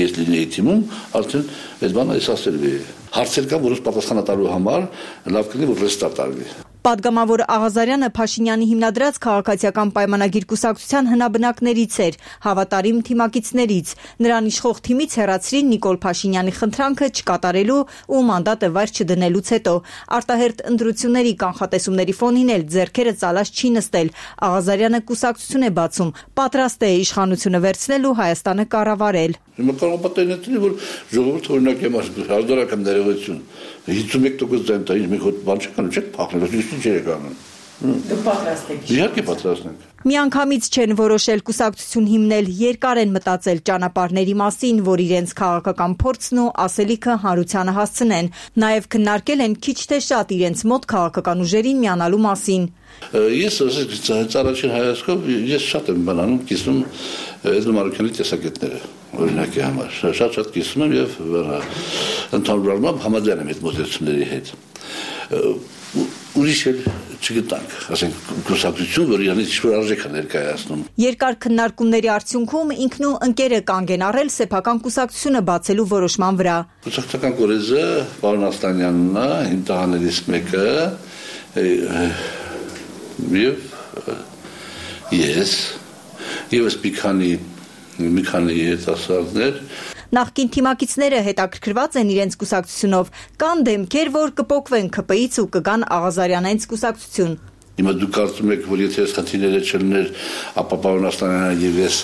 ես լինեի թիմում, արդեն այդ բանը ես ասել էի։ Հարցեր կան, որոնց պատասխանատալու համար լավ կլինի, որ ռեստարտ արվի։ Падգամավոր Աղազարյանը Փաշինյանի հիմնադրած քաղաքացիական պայմանագիր կուսակցության հնաբնակներից էր, հավատարիմ թիմակիցներից։ Նրան իշխող թիմից հեռացրին Նիկոլ Փաշինյանի խնդրանքը չկատարելու ու մանդատը վայր չդնելուց հետո։ Արտահերթ ընտրությունների կանխատեսումների ֆոնին էլ ձեռքերը ծալած չի նստել։ Աղազարյանը կուսակցություն է բացում, պատրաստ է իշխանությունը վերցնել ու Հայաստանը կառավարել։ Հիմա կարող պատահել որ ժողովուրդը օրինակ եմ ասում, հազարական ներողություն 51% ձայն տա, ինչ մեկ հոտ բան չկան, չեք փախնել, ինչ եք անում։ Դուք պատրաստ եք։ Իհարկե պատրաստ ենք։ Միանգամից չեն որոշել կուսակցություն հիմնել, երկար են մտածել ճանապարհների մասին, որ իրենց քաղաքական փորձն ու ասելիքը հանրությանը հասցնեն։ Նաև քննարկել են քիչ թե շատ իրենց մոտ քաղաքական ուժերին միանալու մասին։ Ես առաջին հայացքով ես շատ եմ բանանում, կիսում Էդմոն Մարուկյանի տեսակետները, օրինակի համար։ Շատ կիսում եմ եւ ընդհանուր առմամբ համաձայն եմ այդ մոտեցումների հետ։ ուրիշ էլ չգտանք, ասենք կուսակցություն, որ իրանից ինչ-որ արժեք է ներկայացնում։ Երկար քննարկումների արդյունքում ինքն ու ընկերը կանգ են առել սեփական կուսակցությունը բացելու որոշման վրա։ Կուսակցական կորեզը պարոն Աստանյանն է, իմ տղաներից մեկը, եւ ես, եւս մի քանի երիտասարդներ։ Նախկին թիմակիցները հետաքրքրված են իրենց կուսակցությունով, կան դեմքեր, որ կփոկվեն ԿՊ-ից ու կգան Աղազարյանից կուսակցություն։ Հիմա դուք կարծում եք, որ եթե այս խնդիրները չլներ, ապա պարոն Աստանյանը եւ ես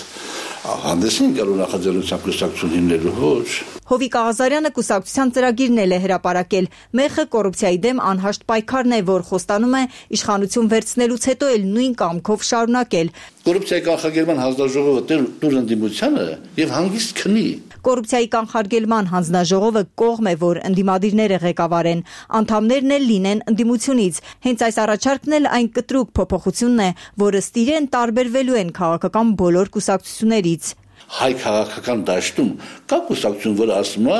հանդես են գալու նախաձեռնության կուսակցություն հիմնելու, ոչ։ Հովիկ Աղազարյանը կուսակցության ծրագիրն էլ է հրապարակել։ Մեխը կոռուպցիայի դեմ անհաշտ պայքարն է, որ խոստանում է իշխանություն վերցնելուց հետո էլ նույն կամքով շարունակել։ Կոռուպցիայի կանխարգելման հանձնաժողովը տուր ընդդիմությանը եւ հանգիստ քնի։ Կոռուպցիայի կանխարգելման հանձնաժողովը կողմ է, որ ընդդիմադիրները ղեկավարեն, անդամներն էլ լինեն ընդդիմությունից։ Հենց այս առաջարկն էլ այն կտրուկ փոփոխությունն է, որը ըստ իրեն տարբերվելու են քաղաքական բոլոր կուսակցություններից։ Հայ քաղաքական դաշտում կա կուսակցություն, որը ասում է,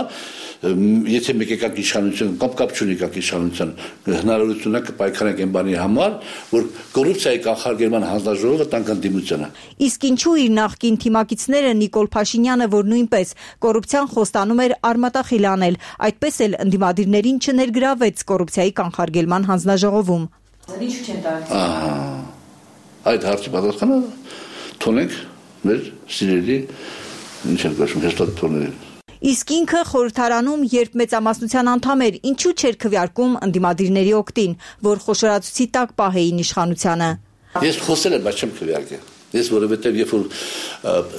եթե մեկ եկակ իշխանություն կամ կապ չունի եկակ իշխանության, հնարավորությունը կպայքարենք այն բանի համար, որ կոռուպցիայի կանխարգելման հանձնաժողովը տանք ընդդիմությանը։ Իսկ ինչու իր նախկին թիմակիցները Նիկոլ Փաշինյանը, որ նույնպես կոռուպցիան խոստանում էր արմատախիլ անել, այդպես էլ ընդդիմադիրներին չներգրավեց կոռուպցիայի կանխարգելման հանձնաժողովում։ Ինչու չեն տալիս։ Այդ հարցի պատասխանը թողնենք մեր սիրելի ինչ են կոչվում հեստատորներին։ Իսկ ինքը խորհրդարանում, երբ մեծամասնության անդամ էր, ինչու չէր քվեարկում ընդդիմադիրների օգտին, որ խոշորացուցի տակ պահեին իշխանությանը։ Ես խոսել եմ, բայց չեմ քվեարկել։ Ես որովհետև երբ որ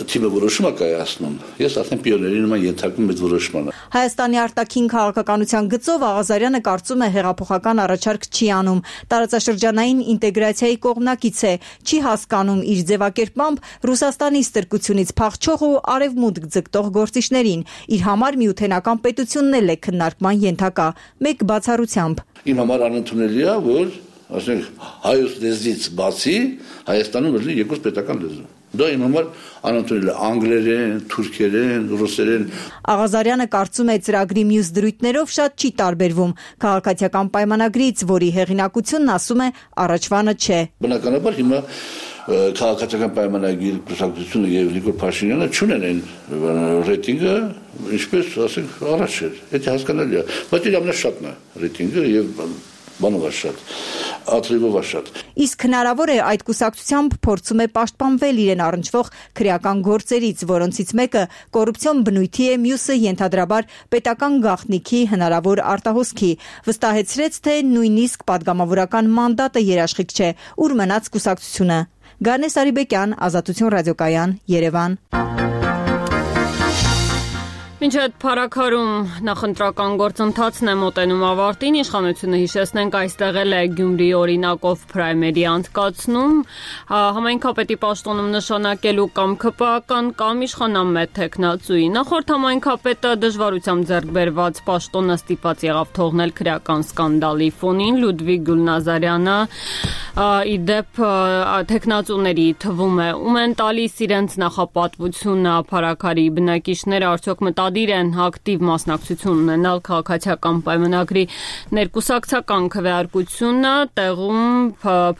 թիմը որոշում է կայացնում, ես արդեն պիոների նման ենթարկում այդ որոշմանը։ Հայաստանի արտաքին քաղաքականության գծով Աղազարյանը կարծում է հեղափոխական առաջարկ չի անում, տարածաշրջանային ինտեգրացիայի կողմնակից է, չի հասկանում իր ձևակերպմամբ Ռուսաստանի ստրկությունից փախչող ու արևմուտք ձգտող գործիչներին, իր համար միութենական պետությունն էլ է քննարկման ենթակա, մեկ բացառությամբ։ Իմ համար անընդունելի է, որ ասենք հայոց լեզվից բացի Հայաստանում լինի երկրորդ պետական լեզու։ Դա իմ համար անընդունելի է անգլերեն, թուրքերեն, ռուսերեն։ Աղազարյանը կարծում է ծրագրի մյուս դրույթներով շատ չի տարբերվում քաղաքացիական պայմանագրից, որի հեղինակությունն ասում է առաջվանը չէ։ Բնականաբար հիմա քաղաքացիական պայմանագիր կուսակցությունը եւ Նիկոլ Փաշինյանը չունեն այն ռեյտինգը, ինչպես ասենք առաջ էր։ Դա հասկանալի է, բայց իր ամենաշատն է ռեյտինգը եւ բանով շատ, ատրիվով շատ։ Իսկ հնարավոր է այդ կուսակցությամբ փորձում է պաշտպանվել իրեն առնչվող քրեական գործերից, որոնցից մեկը կոռուպցիոն բնույթի է, մյուսը ենթադրաբար պետական գաղտնիքի հնարավոր արտահոսքի։ Վստահեցրեց, թե նույնիսկ падգամավորական մանդատը երաշխիք չէ, ուր մնաց կուսակցությունը։ Գարնես Արիբեկյան, Ազատություն ռադիոկայան, Երևան։ Մինչ այդ փառաքարում նախընտրական գործընթացն է մոտենում ավարտին, իշխանությունը հիշեցնենք այստեղ էլ է Գյումրիի օրինակով պրայմերի անցկացնում, համայնքապետի պաշտոնում նշանակելու կամ ԿՊԱ-ական կամ իշխանամետ թեկնածուի։ Նախորդ համայնքապետը դժվարությամբ ձեռք բերված պաշտոնը ստիպված եղավ թողնել քրեական սկանդալի ֆոնին։ Լյուդվիգ Գուլնազարյանը ի դեպ թեկնածուների թվում է, ում են տալիս իրենց նախապատվությունը փառաքարի բնակիչները, արդյոք մտադիր են ակտիվ մասնակցություն ունենալ քաղաքացիական պայմանագրի ներկուսակցական քվեարկությունը, տեղում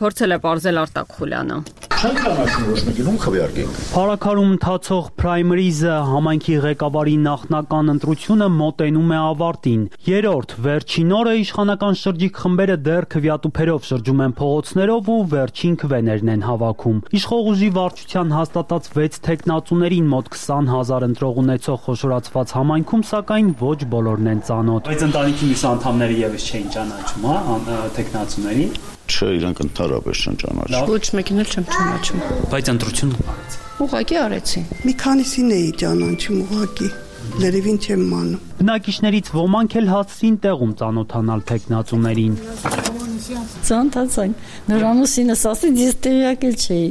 փորձել է պարզել Արտակ Խուլյանը։ Չենք ճանաչում ոչ մեկին քվեարկենք։ Փառաքարում ընթացող պրայմերիզը համայնքի ղեկավարի նախնական ընտրությունը մոտենում է ավարտին։ Երրորդ վերջին օրը իշխանական շրջիկ խմբերը դեռ քվեատուփերով շրջում են փողոցներով ու վերջին քվեներն են հավաքում։ Իշխող ուժի վարչության հաստատած 6 թեկնածուներին մոտ 20,000 ընտրող ունեցող խոշորացված համայնքում սակայն ոչ բոլորն են ծանոթ։ Բայց ընտանիքի մյուս անդամները եւս չէին ճանաչում, հա, թեկնածուներին։ Չէ, իրանք ընդհանրապես չեն ճանաչում։ Ոչ մեկին էլ չեմ ճանաչում։ Բայց ընտրություն արեցի։ Ուղղակի արեցի։ Մի քանիսին էի ճանաչում ուղղակի։ Լերևին չեմ մանում։ Բնակիչներից ոմանք էլ հասցին տեղում ծանոթանալ թեկնածուներին։ Ծանոթացանք։ Նորանուսինս ասի, ես տեղյակ էլ չէի։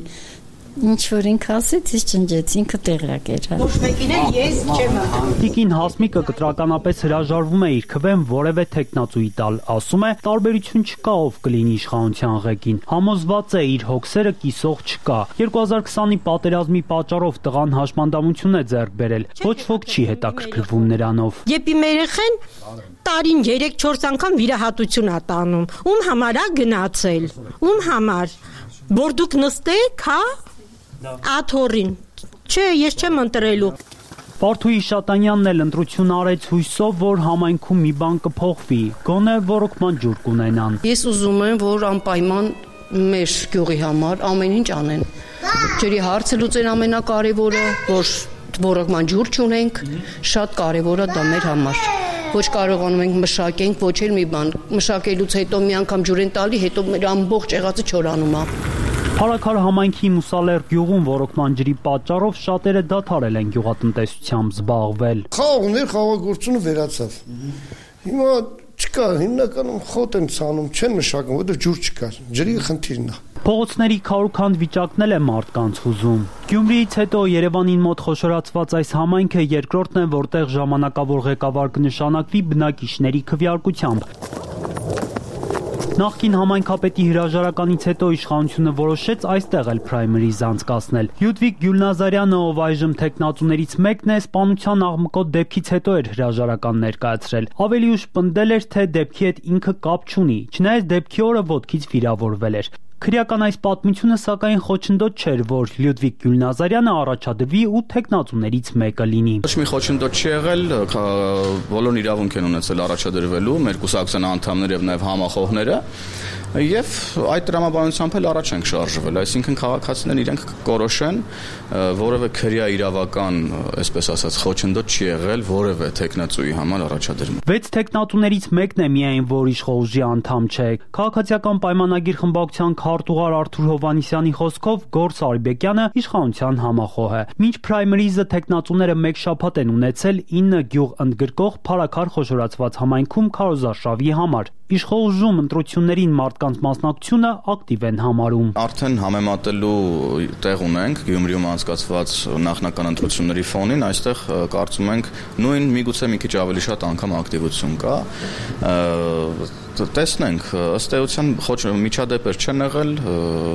Ինչ որ ինքը ասեց, ես ճնջեց, ինքը տեղյակ էր։ Ոչ մեկին էլ ես չեմ անդամ։ Տիկին Հասմիկը կտրականապես հրաժարվում է իր քվեն որևէ տեխնացուի տալ, ասում է, տարբերություն չկա ով կլինի իշխանության ղեկին։ Համոզված է իր հոգսերը կիսող չկա։ 2020-ի պատերազմի պատճառով տղան հաշմանդամություն է ձեռք բերել։ Ոչ ոք չի հետաքրքրվում նրանով։ Երբ իմ երեխեն տարին 3-4 անգամ վիրահատություն ա տանում, ում համար ա գնացել, ում համար, որ դուք նստեք, հա, աթորին, չէ, ես չեմ ընտրելու։ Պարթուի Շատանյանն էլ ընտրություն արեց հույսով, որ համայնքում մի բան կփոխվի, գոնե ոռոգման ջուր կունենան։ Ես ուզում եմ, որ անպայման մեր գյուղի համար ամեն ինչ անեն։ Ջրի հարցը լուծեն ամենակարևորը, որ ոռոգման ջուր չունենք, շատ կարևոր է դա մեր համար։ Ոչ կարողանում ենք մշակենք, ոչ էլ մի բան։ Մշակելուց հետո մի անգամ ջուր են տալի, հետո մեր ամբողջ եղածը չորանում է։ Փարաքար համայնքի Մուսալեր գյուղում ոռոգման ջրի պատճառով շատերը դադարել են գյուղատնտեսությամբ զբաղվել։ Խաղողներ խաղաղությունը վերացավ։ Հիմա չկա, հիմնականում խոտ են ցանում, չեն մշակում, որտեղ ջուր չկար։ Ջրի խնդիրն է։ Փողոցների քարուքանդ վիճակն է մարդկանց հուզում։ Գյումրիից հետո Երևանին մոտ խոշորացված այս համայնքը երկրորդն է, որտեղ ժամանակավոր ղեկավար կնշանակվի բնակիչների քվեարկությամբ։ Նախկին համայնքապետի հրաժարականից հետո իշխանությունը որոշեց այստեղ էլ պրայմերիզ անցկացնել։ Լյուդվիգ Գյուլնազարյանը, ով այժմ տեխնատուներից մեկն է, սպանության աղմկոտ դեպքից հետո էր հրաժարական ներկայացրել։ Ավելի ուշ պնդել էր, թե դեպքի հետ ինքը կապ չունի, չնայած դեպքի օրը ոտքից վիրավորվել էր։ Քրեական այս պատմությունը սակայն խոչընդոտ չէր, որ Լյուդվիգ Գյուլնազարյանը առաջադրվի ու տեխնատուներից մեկը լինի։ Ոչ մի խոչընդոտ չի եղել, բոլորն իրավունք են ունեցել առաջադրվելու, մեր կուսակցության անդամները եւ նաեւ համախոհները, եւ այդ տրամաբանությամբ էլ առաջ ենք շարժվել, այսինքն քաղաքացիներն իրենք կորոշեն, որևէ քրեա իրավական, այսպես ասած, խոչընդոտ չի եղել որևէ տեխնատուի համար առաջադրում։ 6 տեխնատուներից մեկն է միայն, որ իշխողժի անդամ չէ։ Քաղաքացիական պայմանագիր խմբակցության քարտուղար Արթուր Հովանիսյանի խոսքով Գորս Արիբեկյանը իշխանության համախոհ է։ Մինչ պրայմերիզը տեխնատուները մեկ շաբաթ են ունեցել 9 գյուղ ընդգրկող Փարաքար խոշորացված համայնքում քարոզարշավի համար։ Իշխողժում ընտրություններին մարդկանց մասնակցությունը ակտիվ են համարում։ Արդեն համեմատելու տեղ ունենք Գյումրիում անցկացված նախնական ընտրությունների ֆոնին, այստեղ կարծում ենք նույն միգուցե մի քիչ ավելի շատ անգամ ակտիվություն կա։ Տեսնենք, ըստ էության միջադեպեր չեն եղել,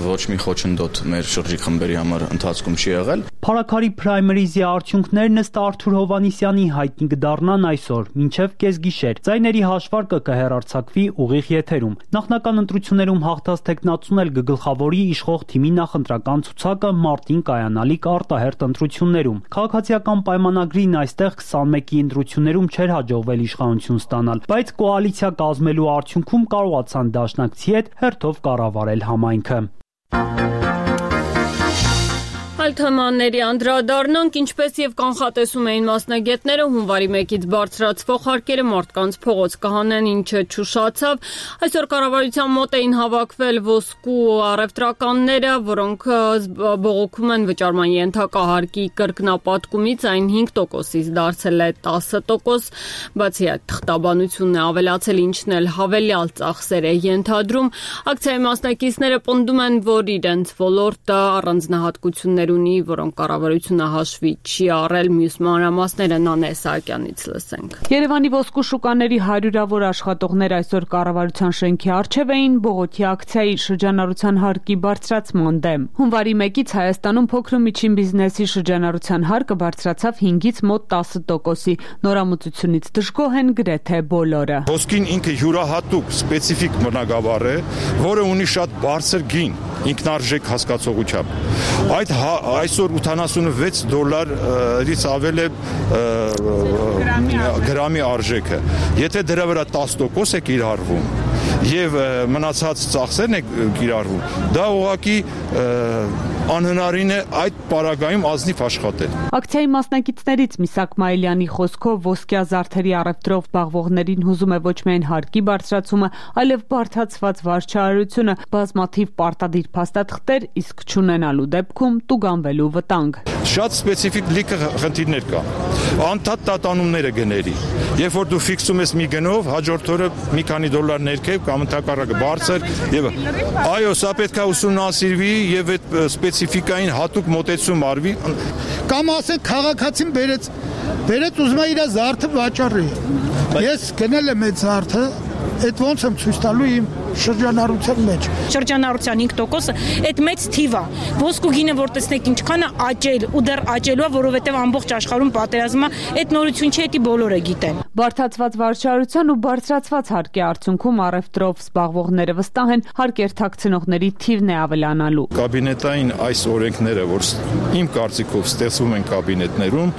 ոչ մի խոչընդոտ մեր շրջիկ խմբերի համար ընթացքում չի եղել։ Փարաքարի պրայմերիզի արդյունքներն ըստ Արթուր Հովանիսյանի հայտնի կդառնան այսօր, մինչև կեսգիշեր։ Ձայների հաշվարկը կհեռարձակվի ուղիղ եթերում։ Նախնական ընտրություններում հաղթած տեխնատուն էլ կգլխավորի իշխող թիմի նախընտրական ցուցակը մարտին կայանալիք արտահերթ ընտրություններում։ Քաղաքացիական պայմանագրին այստեղ 21-ի ընտրություններում չէր հաջողվել իշխանություն ստանալ, բայց կոալիցիա կազմելու արդյունքում կարողացան դաշնակցի հետ հերթով կառավարել համայնքը։ Այլ թեմաների անդրադառնանք, ինչպես եւ կանխատեսում էին մասնագետները, հունվարի 1-ից բարձրացվող հարկերը մարդկանց փողոց կհանեն, ինչը չուշացավ։ Այսօր կառավարության մոտ էին հավաքվել ոսկու առևտրականները, որոնք բողոքում են վճարման ենթակա հարկի կրկնապատկումից, այն 5%-ից դարձել է 10%, բացի այդ թղթաբանությունն է ավելացել, ինչն էլ հավելյալ ծախսեր է ենթադրում։ Ակցիայի մասնակիցները պնդում են, որ իրենց ոլորտը առանձնահատկություններ ունի, որոնք կառավարությունը հաշվի չի առել։ Մյուս մանրամասները Նանե Սահակյանից լսենք։ Երևանի ոսկու շուկաների հարյուրավոր աշխատողներ այսօր կառավարության շենքի առջև էին բողոքի ակցիայի շրջանառության հարկի բարձրացման դեմ։ Հունվարի 1-ից Հայաստանում փոքր ու միջին բիզնեսի շրջանառության հարկը բարձրացավ 5-ից մոտ 10%-ի։ Նորամուծությունից դժգոհ են գրեթե բոլորը։ Ոսկին ինքը յուրահատուկ սպეციფიկ մնագավառ է, որը ունի շատ բարձր գին, ինքնարժեք հասկացողությամբ։ Այդ այսօր $86-ից ավել է գրամի արժեքը։ Եթե դրա վրա 10% է կիրառվում եւ մնացած ծախսերն է կիրառվում, դա ուղղակի անհնարին է այդ պարագայում ազնիվ աշխատել։ Ակցիայի մասնակիցներից Միսակ Մայլյանի խոսքով ոսկյա զարդերի առևտրով զբաղվողներին հուզում է ոչ միայն հարկի բարձրացումը, այլև բարդացված վարչարարությունը, բազմաթիվ պարտադիր փաստաթղթեր, իսկ չունենալու դեպքում տուգանվելու վտանգ։ շատ սպეციფიկ լիքը խնդիրներ կա։ Անդադ տատանումները գների։ Երբ որ դու ֆիքսում ես մի գնով, հաջորդ օրը մի քանի դոլար ներքև կամ ընդհակառակը բարձր եւ այո, սա պետք է ուսումնասիրվի եւ այդ սպეციფիկային հատուկ մոտեցում արվի։ Կամ ասենք քաղաքացին բերեց ուզում է իր զարդը վաճառի։ Ես գնել եմ այդ զարդը, այդ ոնց եմ ցույց տալու իմ շրջանառության մեջ։ Շրջանառության 5%-ը այդ մեծ թիվ է։ Ոսկու գինը որ տեսնեք ինչքան է աճել ու դեռ աճելու է, որովհետև ամբողջ աշխարհում պատերազմը այդ նորություն չէ, դա բոլորը գիտեն։ Բարդացված վարչարության ու բարձրացված հարկի արդյունքում առևտրով զբաղվողները վստահ են, հարկ երթակցնողների թիվն է ավելանալու։ Կաբինետային այս օրենքները, որ իմ կարծիքով ստեղծվում են կաբինետներում,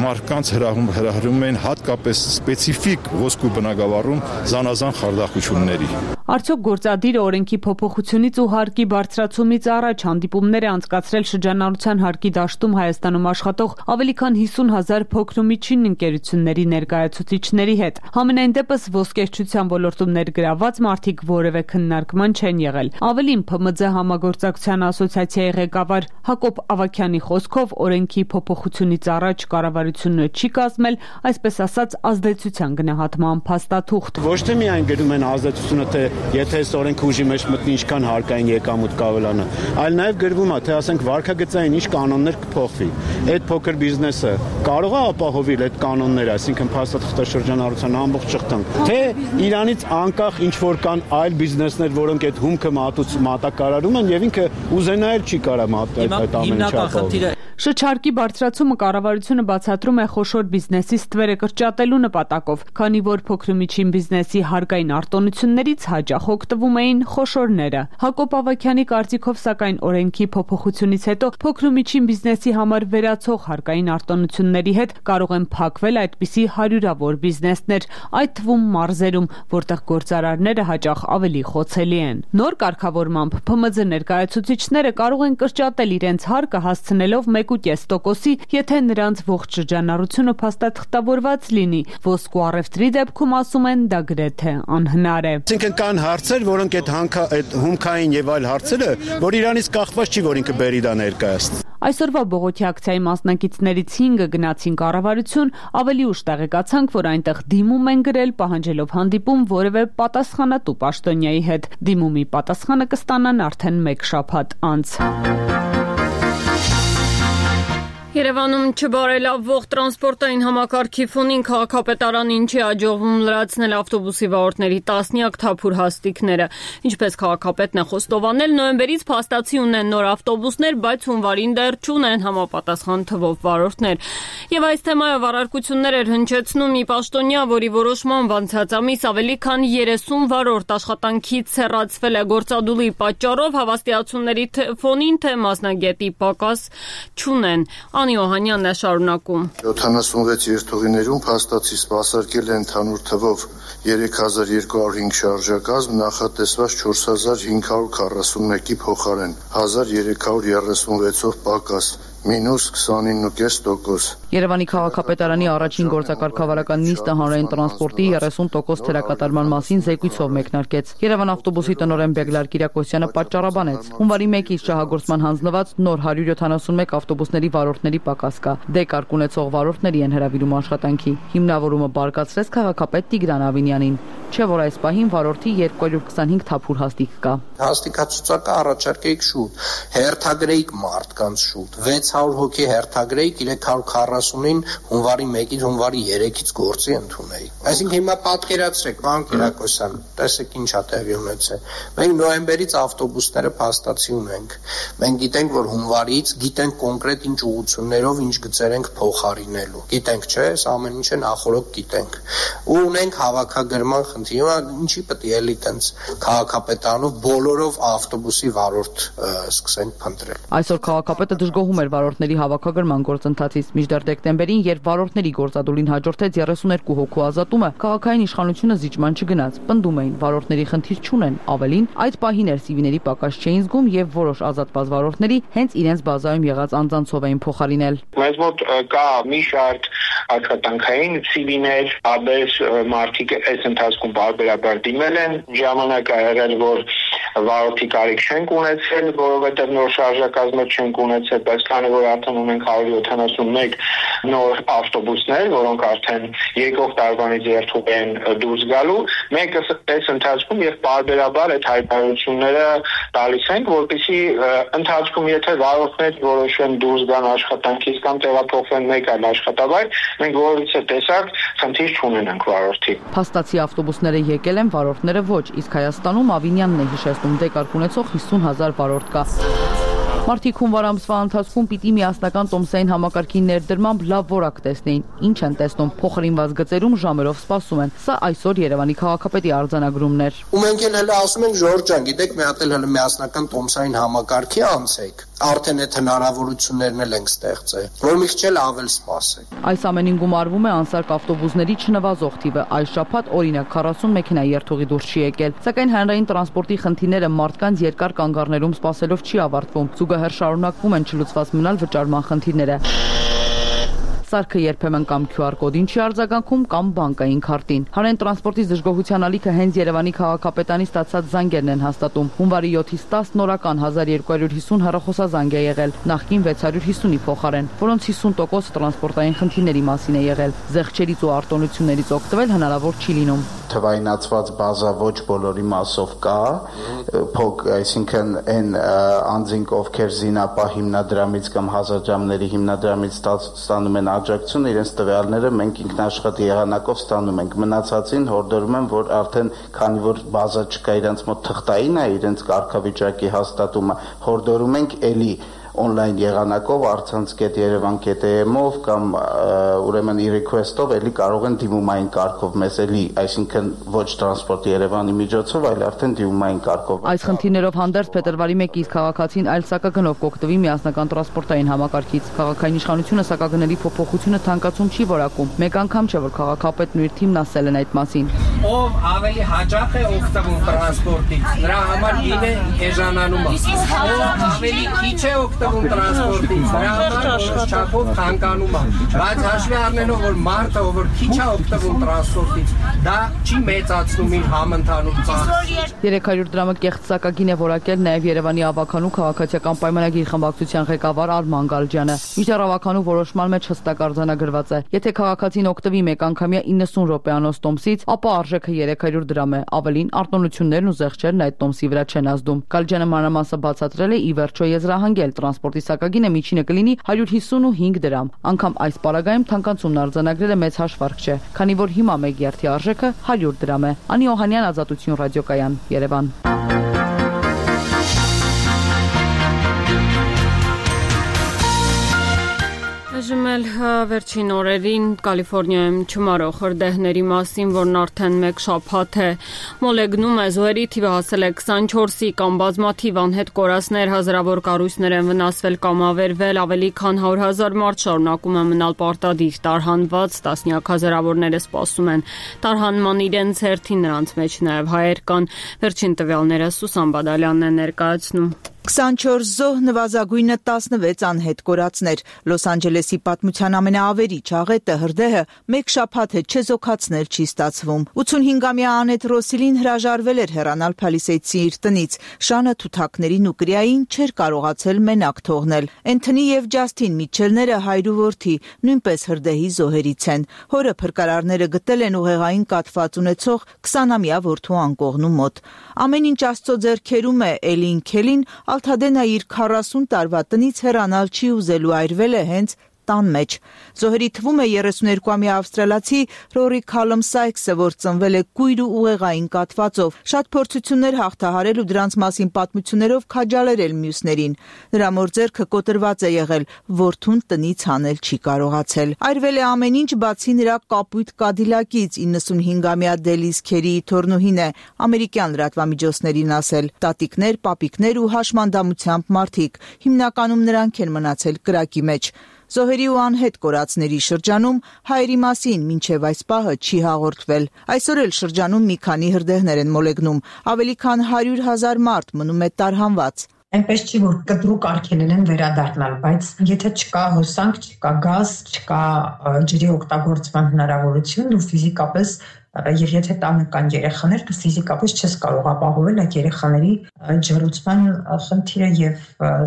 մարդկանց հրահրում են հատկապես սպეციფիկ ոսկու բնագավառում զանազան խարդախությունների։ Արդյոք գործադիրը օրենքի փոփոխությունից ու հարկի բարձրացումից առաջ հանդիպումներ է անցկացրել շրջանառության հարկի դաշտում Հայաստանում աշխատող ավելի քան 50,000 փոքր ու միջին ընկերությունների ներկայացուցիչների հետ։ Համենայն դեպս ոսկերչության ոլորտում ներգրավված մարդիկ որևէ քննարկման չեն եղել։ Ավելին ՓՄՁ համագործակցության ասոցիացիայի ղեկավար Հակոբ Ավագյանի խոսքով օրենքի փոփոխությունից առաջ կառավարությունը չի կազմել, այսպես ասած, ազդեցության գնահատման փաստաթուղթ։ Ոչ թե միայն գրում են ազդեցությունը, թե եթե այս օրենքը ուժի մեջ մտնի ինչքան հարկային եկամուտ կավելանա, այլ նաև գրվում է, թե ասենք վարկագծային ինչ կանոններ կփոխվի։ Այդ փոքր բիզնեսը կարող է ապահովել այդ կանոնները, այսինքն փաստաթղթաշրջանառության ամբողջ շղթան, թե Իրանից անկախ ինչ որ կան այլ բիզնեսներ, որոնք այդ հումքը մատակարարում են եւ ինքը ուզենայել չի կարա այդ ամենը չափով։ Շրջարկի բարձրացումը կառավարությունը բացատրում է խոշոր բիզնեսի ստվերը կրճատելու նպատակով, քանի որ փոքր ու միջին բիզնեսի հարկային արտոնություններից հաճախ օգտվում էին խոշորները։ Հակոբ Ավագյանի կարծիքով, սակայն օրենքի փոփոխությունից հետո փոքր ու միջին բիզնեսի համար վերացող հարկային արտոնությունների հետ կարող են փակվել այդպիսի հարյուրավոր բիզնեսներ, այդ թվում մարզերում, որտեղ գործարարները հաճախ ավելի խոցելի են։ Նոր կարգավորմամբ ՓՄԶ ներկայացուցիչները կարող են կրճատել իրենց հարկը հասցնելով 1.5%-ի, եթե նրանց ողջ շրջանառությունը փաստաթղթավորված լինի։ Ոսկու առևտրի դեպքում ասում են դա գրեթե անհնար է։ Այսինքն կան հարցեր, որոնք այդ հումքային եւ այլ հարցերը, որ Իրանից կախված չի, որ ինքը բերի դա ներկայացնի։ Այսօրվա բողոքի ակցիայի մասնակիցներից 5-ը գնացին կառավարություն, ավելի ուշ տեղեկացանք, որ այնտեղ դիմում են գրել, պահանջելով հանդիպում որևէ պատասխանատու պաշտոնյայի հետ։ Դիմումի պատասխանը կստանան արդեն 1 շաբաթ անց։ Երևանում չբարելավվող տրանսպորտային համակարգի ֆոնին քաղաքապետարանին չի հաջողվում լրացնել ավտոբուսի վարորդների տասնյակ թափուր հաստիկները։ Ինչպես քաղաքապետն է խոստովանել, նոյեմբերից փաստացի ունեն նոր ավտոբուսներ, բայց հունվարին դեռ չունեն համապատասխան թվով վարորդներ։ Եվ այս թեմայով առարկություններ էր հնչեցնում մի պաշտոնյա, որի որոշմամբ անցած ամիս ավելի քան 30 վարորդ աշխատանքից հեռացվել է գործադուլի պատճառով, հավաստիացումների ֆոնին, թե մասնագետի պակաս չունեն։ Անի Օհանյանն է շարունակում։ 76 երթուղիներում փաստացի սպասարկել է ընդհանուր թվով 3205 շարժակազմ, նախատեսված 4541-ի փոխարեն 1336-ով պակաս, մինուս 29.5%։ Երևանի քաղաքապետարանի առաջին գործակարգավարական նիստը հանրային տրանսպորտի 30% թերակատարման մասին զեկույցով մեկնարկեց։ Երևան ավտոբուսի տնօրեն Բեգլար Կիրակոսյանը պատճառաբանեց։ Հունվարի 1-ից շահագործման հանձնված նոր 171 ավտոբուսների վարորդների պակաս կա։ Դեկարգ ունեցող վարորդների են հրավիրում աշխատանքի։ Հիմնավորումը բարգացրեց քաղաքապետ Տիգրան Ավինյանին, չէ՞ որ այս պահին վարորդի 225 թափուր հաստիկ կա։ Հաստիկացուցակը առաջարկեիք շուտ, հերթագրեիք մարդկանց շուտ, 600 հոգի հերթագրեիք 340-ին հունվարի 1-ից հունվարի 3-ից գործի ընդունեի։ Այսինքն հիմա պատկերացրեք, պարոն Կիրակոսյան, տեսեք ինչա տեղի ունեցել։ Մենք նոյեմբերից ավտոբուսները փաստացի ունենք։ Մենք գիտենք, որ հունվարից գիտենք կոնկրետ ինչ ուղղություններով ինչ գծեր ենք փոխարինելու։ Գիտենք, չէ՞, այս ամեն ինչը նախորդ գիտենք։ Ու ունենք հավաքագրման խնդիր։ Հիմա ինչի պետք է էլի տենց քաղաքապետանով բոլորով ավտոբուսի վարորդ սկսենք փնտրել։ Այսօր քաղաքապետը դժգոհում էր վարորդների հավաքագրման գործընթացից, մինչդեռ դեկտեմբերին, երբ վարորդների գործադուլին հաջորդեց 32 հոգու ազատումը, քաղաքային իշխանությունը զիջման չգնաց։ Պնդում էին, վարորդների խնդիր չունեն, ավելին, այդ պահին էր սիվիների պակաս չէին զգում եւ որոշ ազատված վարորդների հենց իրենց բազայում եղած անձանցով էին փոխարինել։ Մեզ մոտ կա մի շարք աշխատանքային սիվիներ, աբես մարդիկ այս ընթացքում բարբերաբար դիմել են, ժամանակ ա եղել, որ վարորդի կարիք չենք ունեցել, որովհետև նոր շարժակազմեր չենք ունեցել, բայց քանի որ արդեն ունենք 171 նոր ավտոբուսներ, որոնք արդեն եկող տարվանից երթուղի են դուրս գալու, մենք այս ընթացքում եւ պարբերաբար այդ հայտարարությունները տալիս ենք, որպեսզի ընթացքում եթե վարորդներ որոշեն դուրս գան աշխատանքից կամ տեղափոխվեն մեկ այլ աշխատավայր, մենք որից է տեսակ խնդիր չունենանք վարորդի։ Փաստացի ավտոբուսները եկել են, վարորդները ոչ, իսկ Հայաստանում Ավինյանն է հիշեցնում դեկարգ ունեցող 50,000 վարորդ կա։ Մարդիկ հունվար ամսվա ընթացքում պիտի միասնական տոմսային համակարգի ներդրմամբ լավ որակ տեսնեին։ Ինչ են տեսնում, փոխարինված գծերում ժամերով սպասում են։ Սա այսօր Երևանի քաղաքապետի արձանագրումն էր։ Ու մենք էլ ասում ենք Ժորժ ջան, գիտեք, մի հատ էլ միասնական տոմսային համակարգի անցեք։ Արդեն այդ հնարավորություններն էլ ենք ստեղծել, որ մի քիչ ավել սպասեք։ Այս ամենին գումարվում է անսարք ավտոբուսների չնվազող թիվը։ Այս շաբաթ օրինակ 40 մեքենա երթուղի դուրս չի եկել։ Սակայն հանրային տրանսպորտի խնդիրները մարդկանց երկար կանգառներում սպասելով չի ավարտվում։ Զուգահեռ շարունակվում են չլուծված մնալ վճարման խնդիրները։ Սարքը երբեմն կամ QR կոդին չի արձագանքում կամ բանկային քարտին։ Հանրային տրանսպորտի դժգոհության ալիքը հենց Երևանի քաղաքապետանի ստացած զանգերն են հաստատում։ Հունվարի 7-ից 10 նորական 1250 հեռախոսազանգ է եղել, նախկին 650-ի փոխարեն, որոնց 50% տրանսպորտային խնդիրների մասին է եղել։ Զեղչերից ու արտոնություններից օգտվել հնարավոր չի լինում։ Թվայնացված բազա ոչ բոլորի մասով կա, այսինքն այն անձինք, ովքեր զինապահ հիմնադրամից կամ հազարժամների հիմնադրամից ստանում են աջակցություն, իրենց տվյալները մենք ինքնաշխատ եղանակով ստանում ենք։ Մնացածին հորդորում եմ, որ արդեն քանի որ բազա չկա, իրենց մոտ թղթային է իրենց կարգավիճակի հաստատումը, հորդորում ենք էլի on-line եղանակով artsans.yerevan.am-ով կամ ուրեմն e-request-ով էլի կարող են դիմումային կարգով մեզ էլի, այսինքն ոչ տրանսպորտ Երևանի միջոցով, այլ արդեն դիմումային կարգով։ Այս խնդիրներով հանդերձ փետրվարի 1-ից քաղաքացին այլ սակագնով կօգտվի միասնական տրանսպորտային համակարգից։ Քաղաքային իշխանությունը սակագների փոփոխությունը թանկացում չի որակում։ Մեկ անգամ չէ, որ քաղաքապետն ու իր թիմն ասել են այդ մասին։ Ով ավելի հաճախ է օգտվում տրանսպորտից, նրա համար գինը էժանանում է։ Ով ավելի քիչ է օգտվում տրանսպորտից, նրա համար որոշ չափով թանկանում է։ Բայց հաշվի առնելով, որ մարդը, ով քիչ է օգտվում տրանսպորտից, դա չի մեծացնում իր համընդհանուր ծախսը։ 300 դրամը կեղծ սակագին է որակել նաև Երևանի ավականու քաղաքացիական պայմանագիր խմբակցության ղեկավար Արման Գալջյանը։ Մինչդեռ ավականու որոշման մեջ հստակ արձանագրված է. եթե քաղաքացին օգտվի մեկանգամյա 90 րոպեանոց տոմսից, ապա արժեքը 300 դրամ է։ Ավելին, արտոնություններն ու զեղչերն այդ տոմսի վրա չեն ազդում։ Գալջյանը մանրամասը բացատրել է ի վերջո եզրահանգել տրանսպորտի սակագինը միջինը կլինի 155 դրամ։ Անգամ այս պարագայում թանկացումն արձանագրելը մեծ հաշվարկ չէ, քանի որ հիմա մեկ երթի արժեքը 100 դրամ է։ Անի Օհանյան, Ազատություն ռադիոկայան, Երևան։ Այժմ վերջին օրերին Կալիֆոռնիայում չմարող հրդեհների մասին, որն արդեն մեկ շաբաթ է մոլեգնում է, զոհերի թիվը հասել է 24-ի կամ բազմաթիվ անհետ կորածներ, հազարավոր կառույցներ են վնասվել կամ ավերվել, ավելի քան 100,000 մարդ շարունակում է մնալ պարտադիր տարհանված, տասնյակ հազարավորները սպասում են տարհանման իրենց հերթին, նրանց մեջ նաև հայեր կան։ Վերջին տվյալները Սուսան Բադալյանն է ներկայացնում։ 24 զոհ, նվազագույնը 16 անհետ կորածներ։ Լոս Անջելեսի պատմության ամենաավերիչ աղետը հրդեհը մեկ շաբաթ է չեզոքացնել չի ստացվում։ 85-ամյա Անետ Ռոսիլին հրաժարվել էր հեռանալ Փալիսեյդսի իր տնից։ Շանը թութակներին ու կրիային չէր կարողացել մենակ թողնել։ Էնթոնի եւ Ջասթին Միչելները հայր ու որդի նույնպես հրդեհի զոհերից են։ Հորը փրկարարները գտել են ուղեղային կաթված ունեցող 20-ամյա որդու անկողնու մոտ։ Ամեն ինչ Աստծո ձեռքերում է, Էլին Քելին Ալթադենը իր 40 տարվա տնից հեռանալ չի ուզելու, այրվել է հենց տան մեջ։ Զոհերի թվում է 32-ամյա ավստրալացի Ռորի Քալում Սայքսը, որ ծնվել է կույր ու ուղեղային կաթվածով։ Շատ փորձություններ հաղթահարել ու դրանց մասին պատմություններով քաջալերել մյուսներին։ Նրա մոր ձեռքը կոտրված է եղել, որդուն տնից հանել չի կարողացել։ Այրվել է ամեն ինչ, բացի նրա կապույտ Կադիլակից, 95-ամյա Դելիս Քերիի թորնուհին է ամերիկյան լրատվամիջոցներին ասել։ Տատիկներ, պապիկներ ու հաշմանդամությամբ մարդիկ, հիմնականում նրանք են մնացել կրակի մեջ։ Զոհերի ու անհետ կորածների շրջանում հայերի մասին մինչև այս պահը չի հաղորդվել։ Այսօր էլ շրջանում մի քանի հրդեհներ են մոլեգնում, ավելի քան 100,000 մարդ մնում է տարհանված։ Այնպես չի, որ կտրուկ արգելել են վերադառնալ, բայց եթե չկա հոսանք, չկա գազ, չկա ջրի օգտագործման հնարավորություն, ու ֆիզիկապես Եվ եթե տանը կան երեխաներ, դու ֆիզիկապես չես կարող ապահովել այդ երեխաների ջրուցման խնդիրը եւ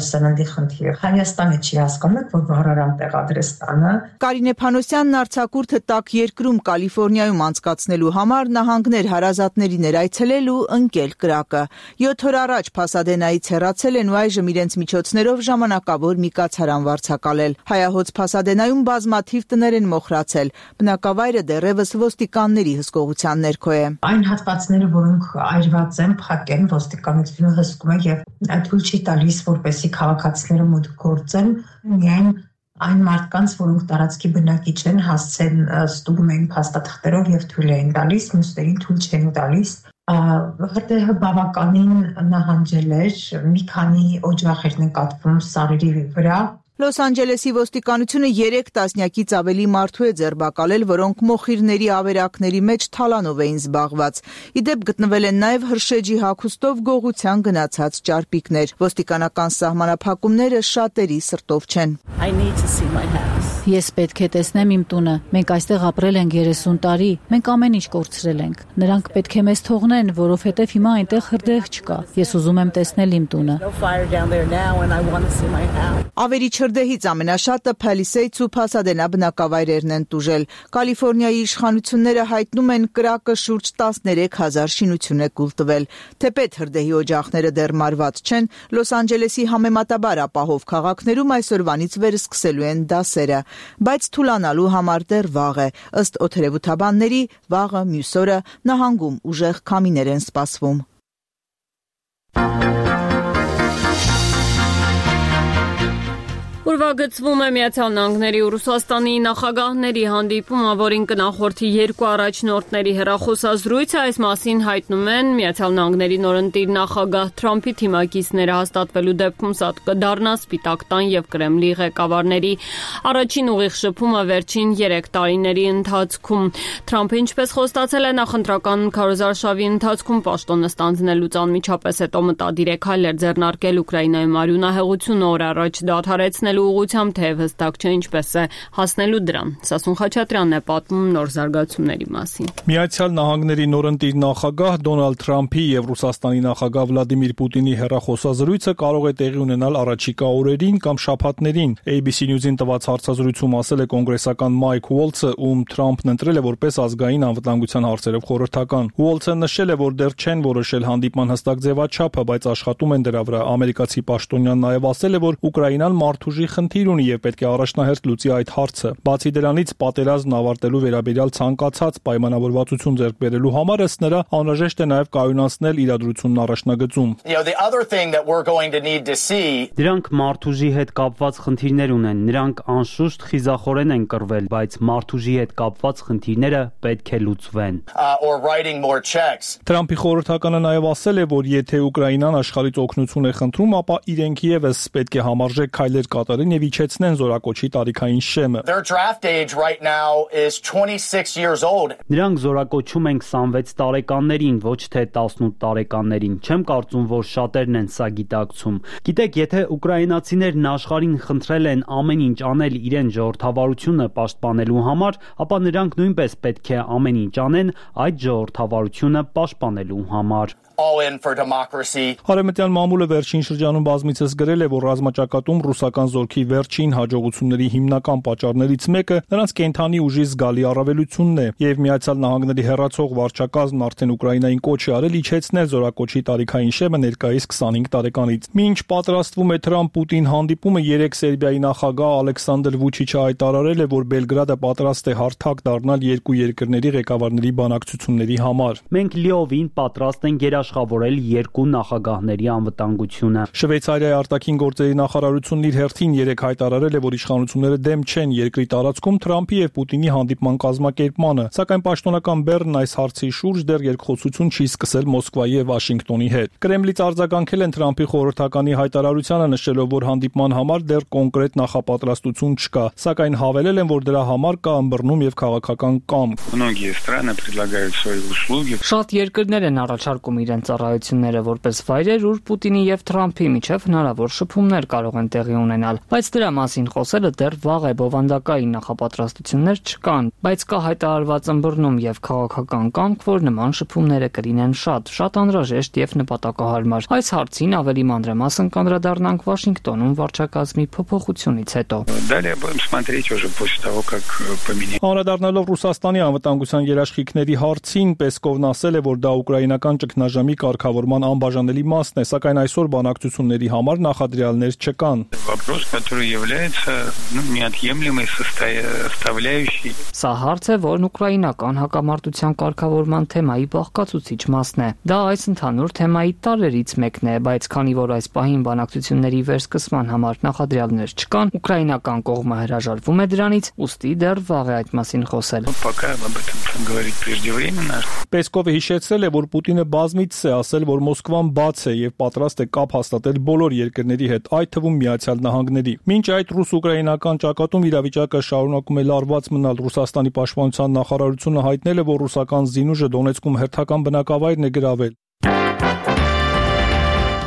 սննդի խնդիրը։ Հայաստանը չի հասկանում, որ վառարան տեղադրես տանը։ Կարինե Փանոսյանն արձակուրդը տաք երկրում Կալիֆոռնիայում անցկացնելու համար նահանգներ հարազատներին այցելել ու ընկել կրակը։ 7 օր առաջ Փասադենայից հեռացել են ու այժմ իրենց միջոցներով ժամանակավոր մի կացարան վարձակալել։ Հայահոց Փասադենայում բազմաթիվ տներ են մոխրացել։ Բնակավայրը դեռևս ոստիկանների հսկողության ներքո է։ Այն հատվածները, որոնք այրված են, փակ են, ոստիկանությունը հսկում է եւ թույլ չի տալիս, որպեսզի քաղաքացիները մոտ գործեն, միայն այն մարդկանց, որոնք տարածքի բնակիչ են, հասցեն ստուգում են փաստաթղթերով եւ թույլ են տալիս, մյուսներին թույլ չեն տալիս։ Հրդեհը բավականին նահանջել էր, մի քանի օջախ էր նկատվում սարերի վրա։ Լոս Անջելեսի ոստիկանությունը 3 տասնյակից ավելի մարդու է ձերբակալել, որոնք մոխիրների ավերակների մեջ թալանով էին զբաղված։ Իդեպ գտնվել են նաև հրշեջի հագուստով գողության գնացած ճարպիկներ։ Ոստիկանական սահմանափակումները շատերի սրտով չեն։ Ես պետք է տեսնեմ իմ տունը։ Մենք այստեղ ապրել ենք 30 տարի։ Մենք ամեն ինչ կորցրել ենք։ Նրանք պետք է մեզ թողնեն, որովհետև հիմա այնտեղ հրդեհ չկա։ Ես ուզում եմ տեսնել իմ տունը։ Ավերիչ հրդեհից ամենաշատը Palisades ու Pasadena բնակավայրերն են տուժել։ Կալիֆոռնիայի իշխանությունները հայտնում են կրակը շուրջ 13,000 շինություն է կուլ տվել։ Թեպետ հրդեհի օջախները դեռ մարված չեն, Լոս Անջելեսի համեմատաբար ապահով քաղաքներում այսօրվանից վերսկսելու են դասերը, բայց թուլանալու համար դեռ վաղ է։ Ըստ օդերևութաբանների, վաղը մյուս օրը նահանգում ուժեղ քամիներ են սպասվում։ Ուրվագծվում է Միացյալ Նահանգների ու Ռուսաստանի նախագահների հանդիպումը, որին կնախորդի 2 առաջնորդների հեռախոսազրույցը, այս մասին հայտնում են Միացյալ Նահանգների նորընտիր նախագահ Թրամփի թիմակիցները հաստատվելու դեպքում սա կդառնա Սպիտակ տան եւ Կրեմլի ղեկավարների առաջին ուղիղ շփումը վերջին 3 տարիների ընթացքում։ Թրամփը, ինչպես խոստացել է նախընտրական քարոզարշավի ընթացքում պաշտոնը ստանձնելուց անմիջապես հետո մտադիր է քայլեր ձեռնարկել Ուկրաինայում արյունահեղությունը օր առաջ դադարեցնելու ուղղությամբ, թեև հստակ չէ ինչպես է հասնելու դրան։ Սասուն Խաչատրյանն է պատմում նոր զարգացումների մասին։ Միացյալ Նահանգների նորընտիր նախագահ Դոնալդ Թրամփի եւ Ռուսաստանի նախագահ Վլադիմիր Պուտինի հեռախոսազրույցը կարող է տեղի ունենալ առաջիկա օրերին կամ շաբաթներին։ ABC News-ին տված հարցազրույցում ասել է կոնգրեսական Մայք Ուոլցը, ում Թրամփն ընտրել է որպես ազգային անվտանգության հարցերով խորհրդական։ Ուոլցը նշել է, որ դեռ չեն որոշել հանդիպման հստակ ձևաչափը, բայց աշխատում են դրա վրա։ Ամերիկացի պաշտոնյան նաև ասել է, որ Ուկրաինան մարդուժի խնդիր ունի եւ պետք է առաջնահերթ լուծի այդ հարցը։ Բացի դրանից, պատերազմն ավարտելու վերաբերյալ ցանկացած պայմանավորվածություն ձեռք բերելու համար ըստ նրա անհրաժեշտ է նաեւ կայունացնել իրադրությունն առաջնագծում։ Դրանք մարդուժի հետ կապված խնդիրներ ունեն։ Նրանք անշուշտ խիզախորեն են կռվել, բայց մարդուժի հետ կապված խնդիրները պետք է լուծվեն։ Թրամփի խորհրդականը նաեւ ասել է, որ եթե Ուկրաինան աշխարհից օգնություն է խնդրում, ապա իրենք եւս պետք է համարժեք քայլեր կատարեն եւ իջեցնեն զորակոչի տարիքային շեմը։ Նրանք զորակոչում են 26 տարեկաններին, ոչ թե 18 տարեկաններին։ Չեմ կարծում, որ շատերն են սա գիտակցում։ Գիտեք, եթե ուկրաինացիներն աշխարհին խնդրել են ամեն ինչ անել իրեն ժողովրդավարությունը պաշտպանելու համար, ապա նրանք նույնպես պետք է ամեն ինչ անեն այդ ժողովրդավարությունը պաշտպանելու համար։ Արևմտյան մամուլը վերջին շրջանում բազմիցս գրել է, որ ռազմաճակատում ռուսական զորքի վերջին հաջողությունների հիմնական պատճառներից մեկը նրանց կենթանի ուժի զգալի առավելությունն է, եւ Միացյալ Նահանգների հեռացող վարչակազմն արդեն Ուկրաինային կոչ է արել իջեցնել զորակոչի տարիքային շեմը ներկայիս 25 տարեկանից։ Մինչ պատրաստվում է Թրամփ-Պուտին հանդիպումը, 3 Սերբիայի նախագահ Ալեքսանդր Վուչիչը հայտարարել է, որ Բելգրադը պատրաստ է հարթակ դառնալ երկու երկրների ղեկավարների բանակցությունների համար։ Մենք լիովին պատրաստ ենք աշխատավորել երկու նախագահների անվտանգությունը։ Շվեյցարիայի արտաքին գործերի նախարարությունն իր հերթին 3 հայտարարել է, որ իշխանությունները դեմ չեն երկրի տարածքում Թրամփի եւ Պուտինի հանդիպման կազմակերպմանը, սակայն պաշտոնական Բեռնն այս հարցի շուրջ դեռ երկխոսություն չի սկսել Մոսկվայի եւ Վաշինգտոնի հետ։ Կրեմլից արձագանքել են Թրամփի խորհրդականի հայտարարությանը, նշելով, որ հանդիպման համար դեռ կոնկրետ նախապատրաստություն չկա, սակայն հավելել են, որ դրա համար կա ըմբռնում եւ քաղաքական կամք։ Շատ երկրներ են առաջարկում իրենց ծառայությունները որպես վայրեր, ուր Պուտինի եւ Թրամփի միջև հնարավոր շփումներ կարող են տեղի ունենալ, Բայց դրա մասին խոսելը դեռ վաղ է, բովանդակային նախապատրաստություններ չկան, բայց կա հայտարարված ըմբռնում եւ քաղաքական կամք, որ նման շփումները կլինեն շատ անհրաժեշտ եւ նպատակահարմար։ Այս հարցին ավելի մանրամասն կանդրադառնանք Վաշինգտոնում վարչակազմի փոփոխությունից հետո։ Далее будем смотреть уже после того, как поменяется. Անդրադառնալով Ռուսաստանի անվտանգության երաշխիքների հարցին, Պեսկովն ասել է, որ դա ուկրաինական ճգնաժամի կարգավորման անբաժանելի մասն է, սակայն այսօր բանակցությունների համար նախադրյալներ չկան։ Вопрос, который является неотъемлемой составляющей. Սա հարց է, որն ուկրաինական հակամարտության կարգավորման թեմայի բաղկացուցիչ մասն է։ Դա այս ընդհանուր թեմայի տարրերից մեկն է, բայց քանի որ այս պահին բանակցությունների վերսկսման համար նախադրյալներ չկան, ուկրաինական կողմը հրաժարվում է դրանից, ուստի դեռ վաղ է այդ մասին խոսել։ Пока об этом говорить преждевременно. Պեսկովը հիշեցրել է, որ Պուտինը բազմիցս է ասել, որ Մոսկվան բաց է եւ պատրաստ է կապ հաստատել բոլոր երկրների հետ, այդ թվում Միացյալ Նահանգների։ Մինչ այդ ռուս-ուկրաինական ճակատում իրավիճակը շարունակում է լարված մնալ։ Ռուսաստանի պաշտպանության նախարարությունը հայտնել է, որ ռուսական զինուժը Դոնեցկում հերթական բնակավայրն է գրավել։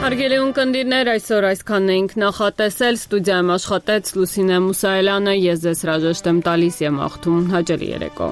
Հարգելի ունկնդիրներ, այսօր այսքանն էինք նախատեսել, ստուդիայում աշխատեց Լուսինե Մուսայելյանը, ես ձեզ հրաժեշտ եմ տալիս եւ մաղթում հաջելի երեկո։